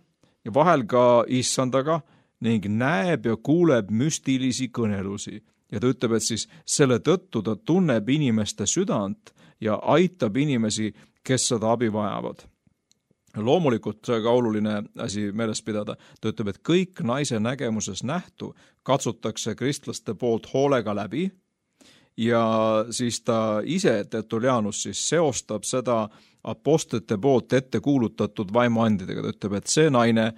ja vahel ka issandaga ning näeb ja kuuleb müstilisi kõnelusi. Ja ta ütleb, et siis selle tõttu ta tunneb inimeste südant ja aitab inimesi, kes seda abi vajavad. Loomulikult see ka oluline asi meeles pidada. Ta ütleb, et kõik naise nägemuses nähtu katsutakse kristlaste poolt hoolega läbi ja siis ta ise, Tertullianus, siis seostab seda apostlite poolt ette kuulutatud vaimuandidega. Ta ütleb, et see naine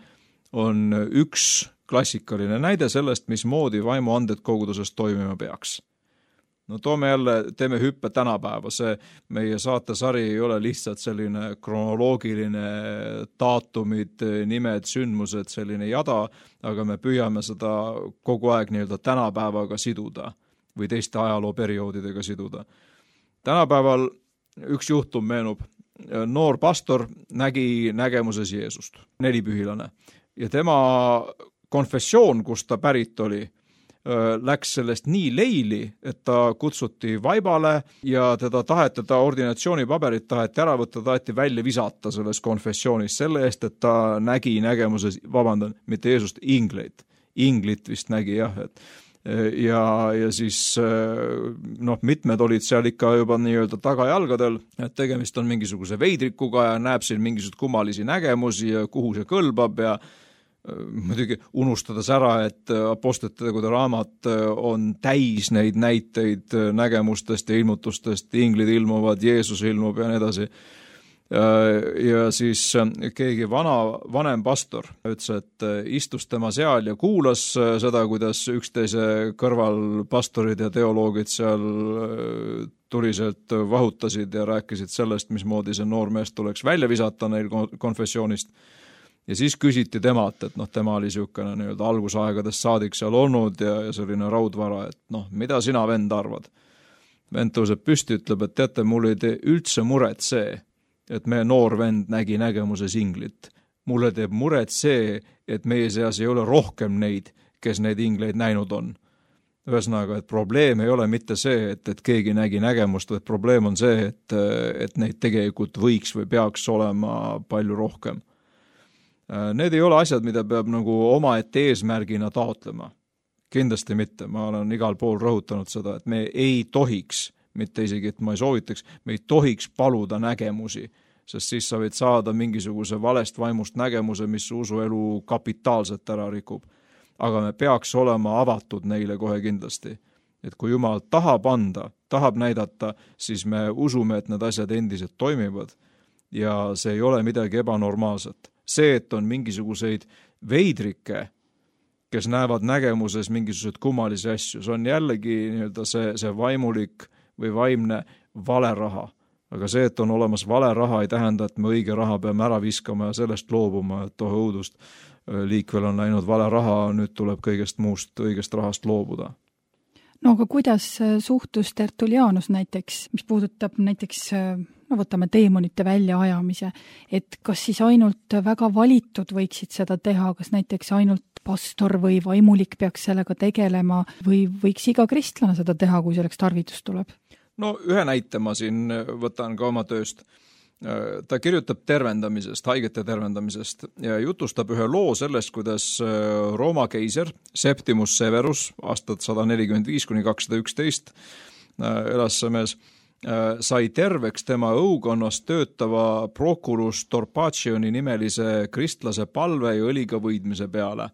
on üks klassikaline näide sellest, mismoodi vaimuanded koguduses toimima peaks. Teeme hüppe tänapäeva. See meie saatesari ei ole lihtsalt selline kronoloogiline daatumid, nimed, sündmused, selline jada, aga me püüame seda kogu aeg nii-öelda tänapäevaga siduda või teiste ajalooperioodidega siduda. Tänapäeval üks juhtum meenub. Noor pastor nägi nägemuses Jeesust, nelipühilane. Ja tema konfessioon, kus ta pärit oli, läks sellest nii leili, et ta kutsuti vaibale ja teda ordinatsioonipaberit taheti ära võtta, taheti välja visata selles konfessioonis selle eest, et ta nägi nägemuses, mitte Jeesust, ingleid. Inglit vist nägi jah, ja siis mitmed olid seal ikka juba nii-öelda tagajalgadel, et tegemist on mingisuguse veidrikuga ja näeb siin mingisugused kummalisi nägemusi ja kuhu see kõlbab ja muidugi unustades ära, et apostlite tegude raamat on täis neid näiteid nägemustest ja ilmutustest, inglid ilmuvad, Jeesus ilmub ja nii edasi. Ja siis keegi vanem pastor ütles, et istus tema seal ja kuulas seda, kuidas üksteise kõrval pastorid ja teoloogid seal tuliselt vahutasid ja rääkisid sellest, mismoodi see noormees tuleks välja visata neil konfessioonist. Ja siis küsiti temalt, et tema oli niisugune nii-öelda algusaegadest saadik seal olnud ja selline raudvara, et mida sina, vend, arvad? Vend tõuseb püsti, ütleb, et teate, mul ei tee üldse muret see, et meie noor vend nägi nägemuses inglit. Mulle teeb muret see, et meie seas ei ole rohkem neid, kes neid ingleid näinud on. Ühesõnaga, et probleem ei ole mitte see, et keegi nägi nägemust, vaid probleem on see, et neid tegelikult võiks või peaks olema palju rohkem. Need ei ole asjad, mida peab nagu omaette eesmärgina taotlema. Kindlasti mitte, ma olen igal pool rõhutanud seda, et me ei tohiks, mitte isegi, et ma ei soovitaks, me ei tohiks paluda nägemusi, sest siis sa võid saada mingisuguse valest vaimust nägemuse, mis usuelu kapitaalselt ära rikub. Aga me peaks olema avatud neile kohe kindlasti. Et kui Jumal tahab anda, tahab näidata, siis me usume, et need asjad endiselt toimivad ja see ei ole midagi ebanormaalset. See, et on mingisuguseid veidrikke, kes näevad nägemuses mingisugused kummalisi asju, see on jällegi see vaimulik või vaimne vale raha. Aga see, et on olemas vale raha, ei tähenda, et me õige raha peame ära viskama ja sellest loobuma, et õudust liikvel on läinud vale raha, nüüd tuleb kõigest muust õigest rahast loobuda. No aga kuidas suhtus Tertullianus näiteks, mis puudutab näiteks, võtame teemonite väljaajamise, et kas siis ainult väga valitud võiksid seda teha, kas näiteks ainult pastor või vaimulik peaks sellega tegelema või võiks iga kristlane seda teha, kui selleks tarvitus tuleb? No ühe näite ma siin võtan ka oma tööst. Ta kirjutab tervendamisest, haigete tervendamisest ja jutustab ühe loo sellest, kuidas Rooma keiser Septimus Severus aastat 145–211 elas see mees, sai terveks tema õukonnas töötava prokurus Torpacioni nimelise kristlase palve ja õliga võidmise peale.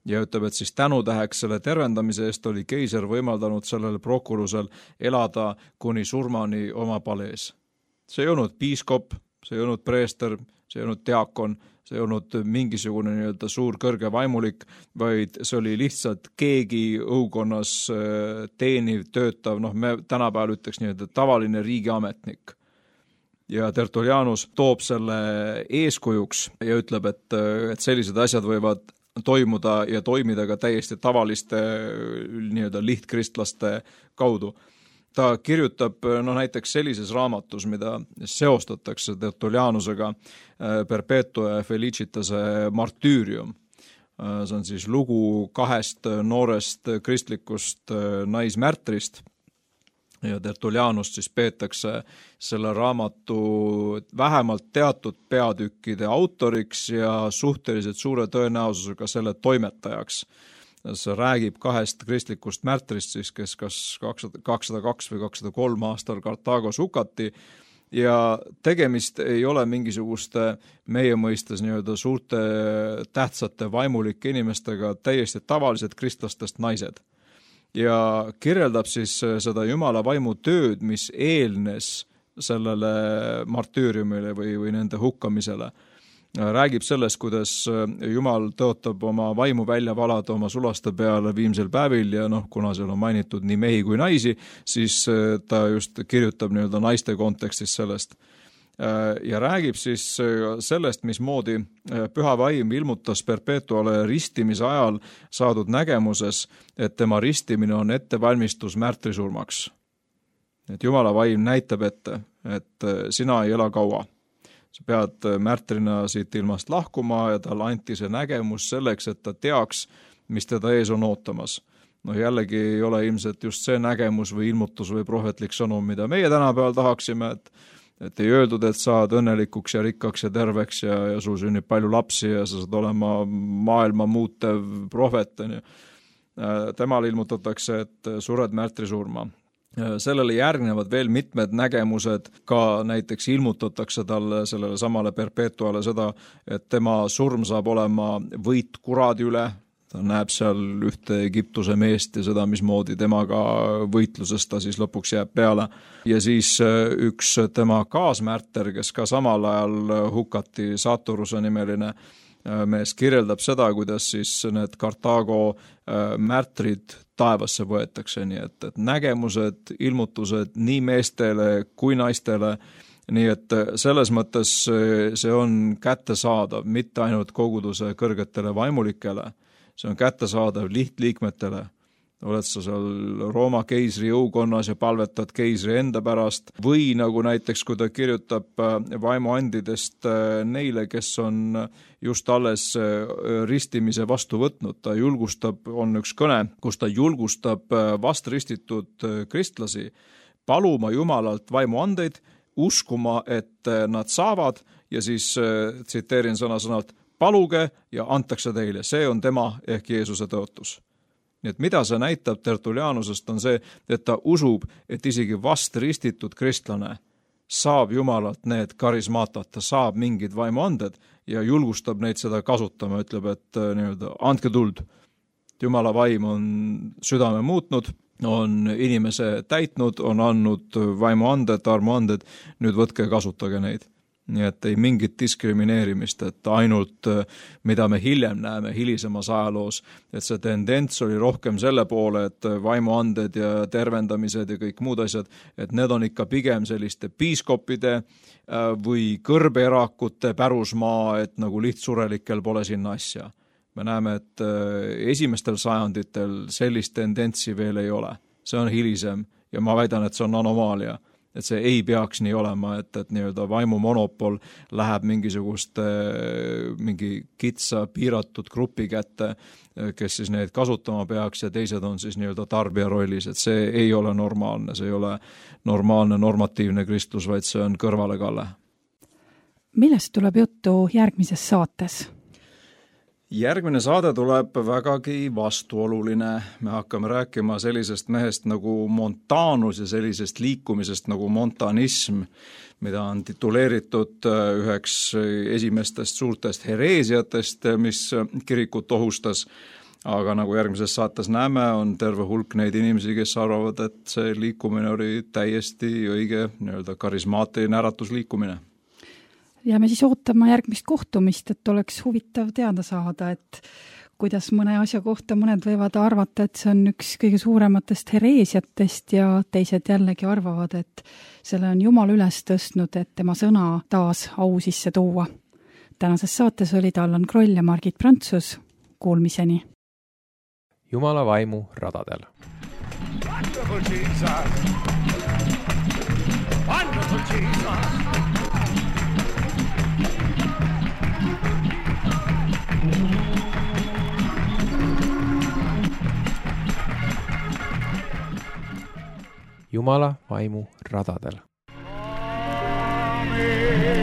Ja ütleb, et siis tänutäheks selle tervendamise eest oli keiser võimaldanud sellele prokurusel elada kuni surmani oma palees. See ei olnud piiskop, see ei olnud preester, see ei olnud diakon, see ei olnud mingisugune suur kõrge vaimulik, vaid see oli lihtsalt keegi õukonnas teeniv, töötav, me tänapäeval ütleks tavaline riigiametnik. Ja Tertullianus toob selle eeskujuks ja ütleb, et sellised asjad võivad toimuda ja toimida ka täiesti tavaliste lihtkristlaste kaudu. Ta kirjutab näiteks sellises raamatus, mida seostatakse Tertullianusega, Perpetua Felicitase martüürium. See on siis lugu 2 noorest kristlikust naismärtrist ja Tertullianust siis peetakse selle raamatu vähemalt teatud peatükkide autoriks ja suhteliselt suure tõenäosusega selle toimetajaks. See räägib 2 kristlikust märtrist, siis, kes kas 202 või 203 aastal Kartagos hukati ja tegemist ei ole mingisuguste meie mõistes suurte tähtsate vaimulike inimestega, täiesti tavalised kristlastest naised. Ja kirjeldab siis seda Jumala vaimu tööd, mis eelnes sellele martüüriumile või nende hukkamisele. Räägib sellest, kuidas Jumal tõotab oma vaimu välja valada oma sulaste peale viimsel päevil ja kuna seal on mainitud nii mehi kui naisi, siis ta just kirjutab naiste kontekstis sellest. Ja räägib siis sellest, mismoodi püha vaim ilmutas Perpetuale ristimise ajal saadud nägemuses, et tema ristimine on ettevalmistus märtrisurmaks. Et Jumala vaim näitab ette, et sina ei ela kaua. Sa pead märtrina siit ilmast lahkuma ja talle anti see nägemus selleks, et ta teaks, mis teda ees on ootamas. Jällegi ei ole ilmselt just see nägemus või ilmutus või prohvetlik sõnum, mida meie tänapäeval tahaksime, et ei öeldud, et saad õnnelikuks ja rikkaks ja terveks ja sul sünnib palju lapsi ja sa saad olema maailma muutev prohvet. Temal ilmutatakse, et sured märtrisurma. Sellele järgnevad veel mitmed nägemused, ka näiteks ilmutatakse talle sellele samale Perpetuale seda, et tema surm saab olema võit kuradi üle. Ta näeb seal ühte Egiptuse meest ja seda, mismoodi temaga võitluses ta siis lõpuks jääb peale. Ja siis üks tema kaasmärter, kes ka samal ajal hukati, Saturuse nimeline mees, kirjeldab seda, kuidas siis need Kartago märtrid taevasse võetakse, nii et nägemused, ilmutused nii meestele kui naistele, nii et selles mõttes see on kättesaadav mitte ainult koguduse kõrgetele vaimulikele, see on kättesaadav lihtliikmetele oled sa seal Rooma keisri jõukonnas ja palvetad keisri enda pärast või nagu näiteks, kui ta kirjutab vaimuandidest neile, kes on just alles ristimise vastu võtnud, ta julgustab, on üks kõne, kus ta julgustab vastristitud kristlasi paluma Jumalalt vaimuandeid, uskuma, et nad saavad ja siis tsiteerin sõna-sõnalt, paluge ja antakse teile, see on tema ehk Jeesuse tõotus. Nii et mida see näitab Tertulianusest on see, et ta usub, et isegi vastristitud kristlane saab Jumalalt need karismaatat, ta saab mingid vaimuanded ja julgustab neid seda kasutama, ütleb, et andke tuld. Jumala vaim on südame muutnud, on inimese täitnud, on andnud vaimuanded, armuanded, nüüd võtke ja kasutage neid. Nii et ei mingit diskrimineerimist, et ainult mida me hiljem näeme hilisemas ajaloos, et see tendents oli rohkem selle poole, et vaimuanded ja tervendamised ja kõik muud asjad, et need on ikka pigem selliste piiskopide või kõrbeerakute pärusmaa, et nagu lihtsurelikel pole sinna asja. Me näeme, et esimestel sajanditel sellist tendentsi veel ei ole. See on hilisem ja ma väidan, et see on anomaalia. Et see ei peaks nii olema, et vaimu monopol läheb mingi kitsa piiratud grupi kätte, kes siis neid kasutama peaks ja teised on siis tarbija rollis, et see ei ole normaalne, see ei ole normaalne normatiivne kristlus, vaid see on kõrvalekalle. Millest tuleb juttu järgmises saates? Järgmine saade tuleb vägagi vastuoluline. Me hakkame rääkima sellisest mehest nagu Montanus ja sellisest liikumisest nagu montanism, mida on tituleeritud üheks esimestest suurtest hereesiatest, mis kirikut ohustas. Aga nagu järgmises saates näeme, on terve hulk neid inimesi, kes arvavad, et see liikumine oli täiesti õige karismaatiline äratusliikumine. Ja me siis ootama järgmist kohtumist, et oleks huvitav teada saada, et kuidas mõne asja kohta mõned võivad arvata, et see on üks kõige suurematest hereesiatest ja teised jällegi arvavad, et selle on Jumal üles tõstnud, et tema sõna taas au sisse tuua. Tänases saates olid Allan Kroll ja Margit Prantsus. Kuulmiseni. Jumala vaimu radadel. Wonderful Jesus! Wonderful Jesus! Jumala vaimu radadel. Amen.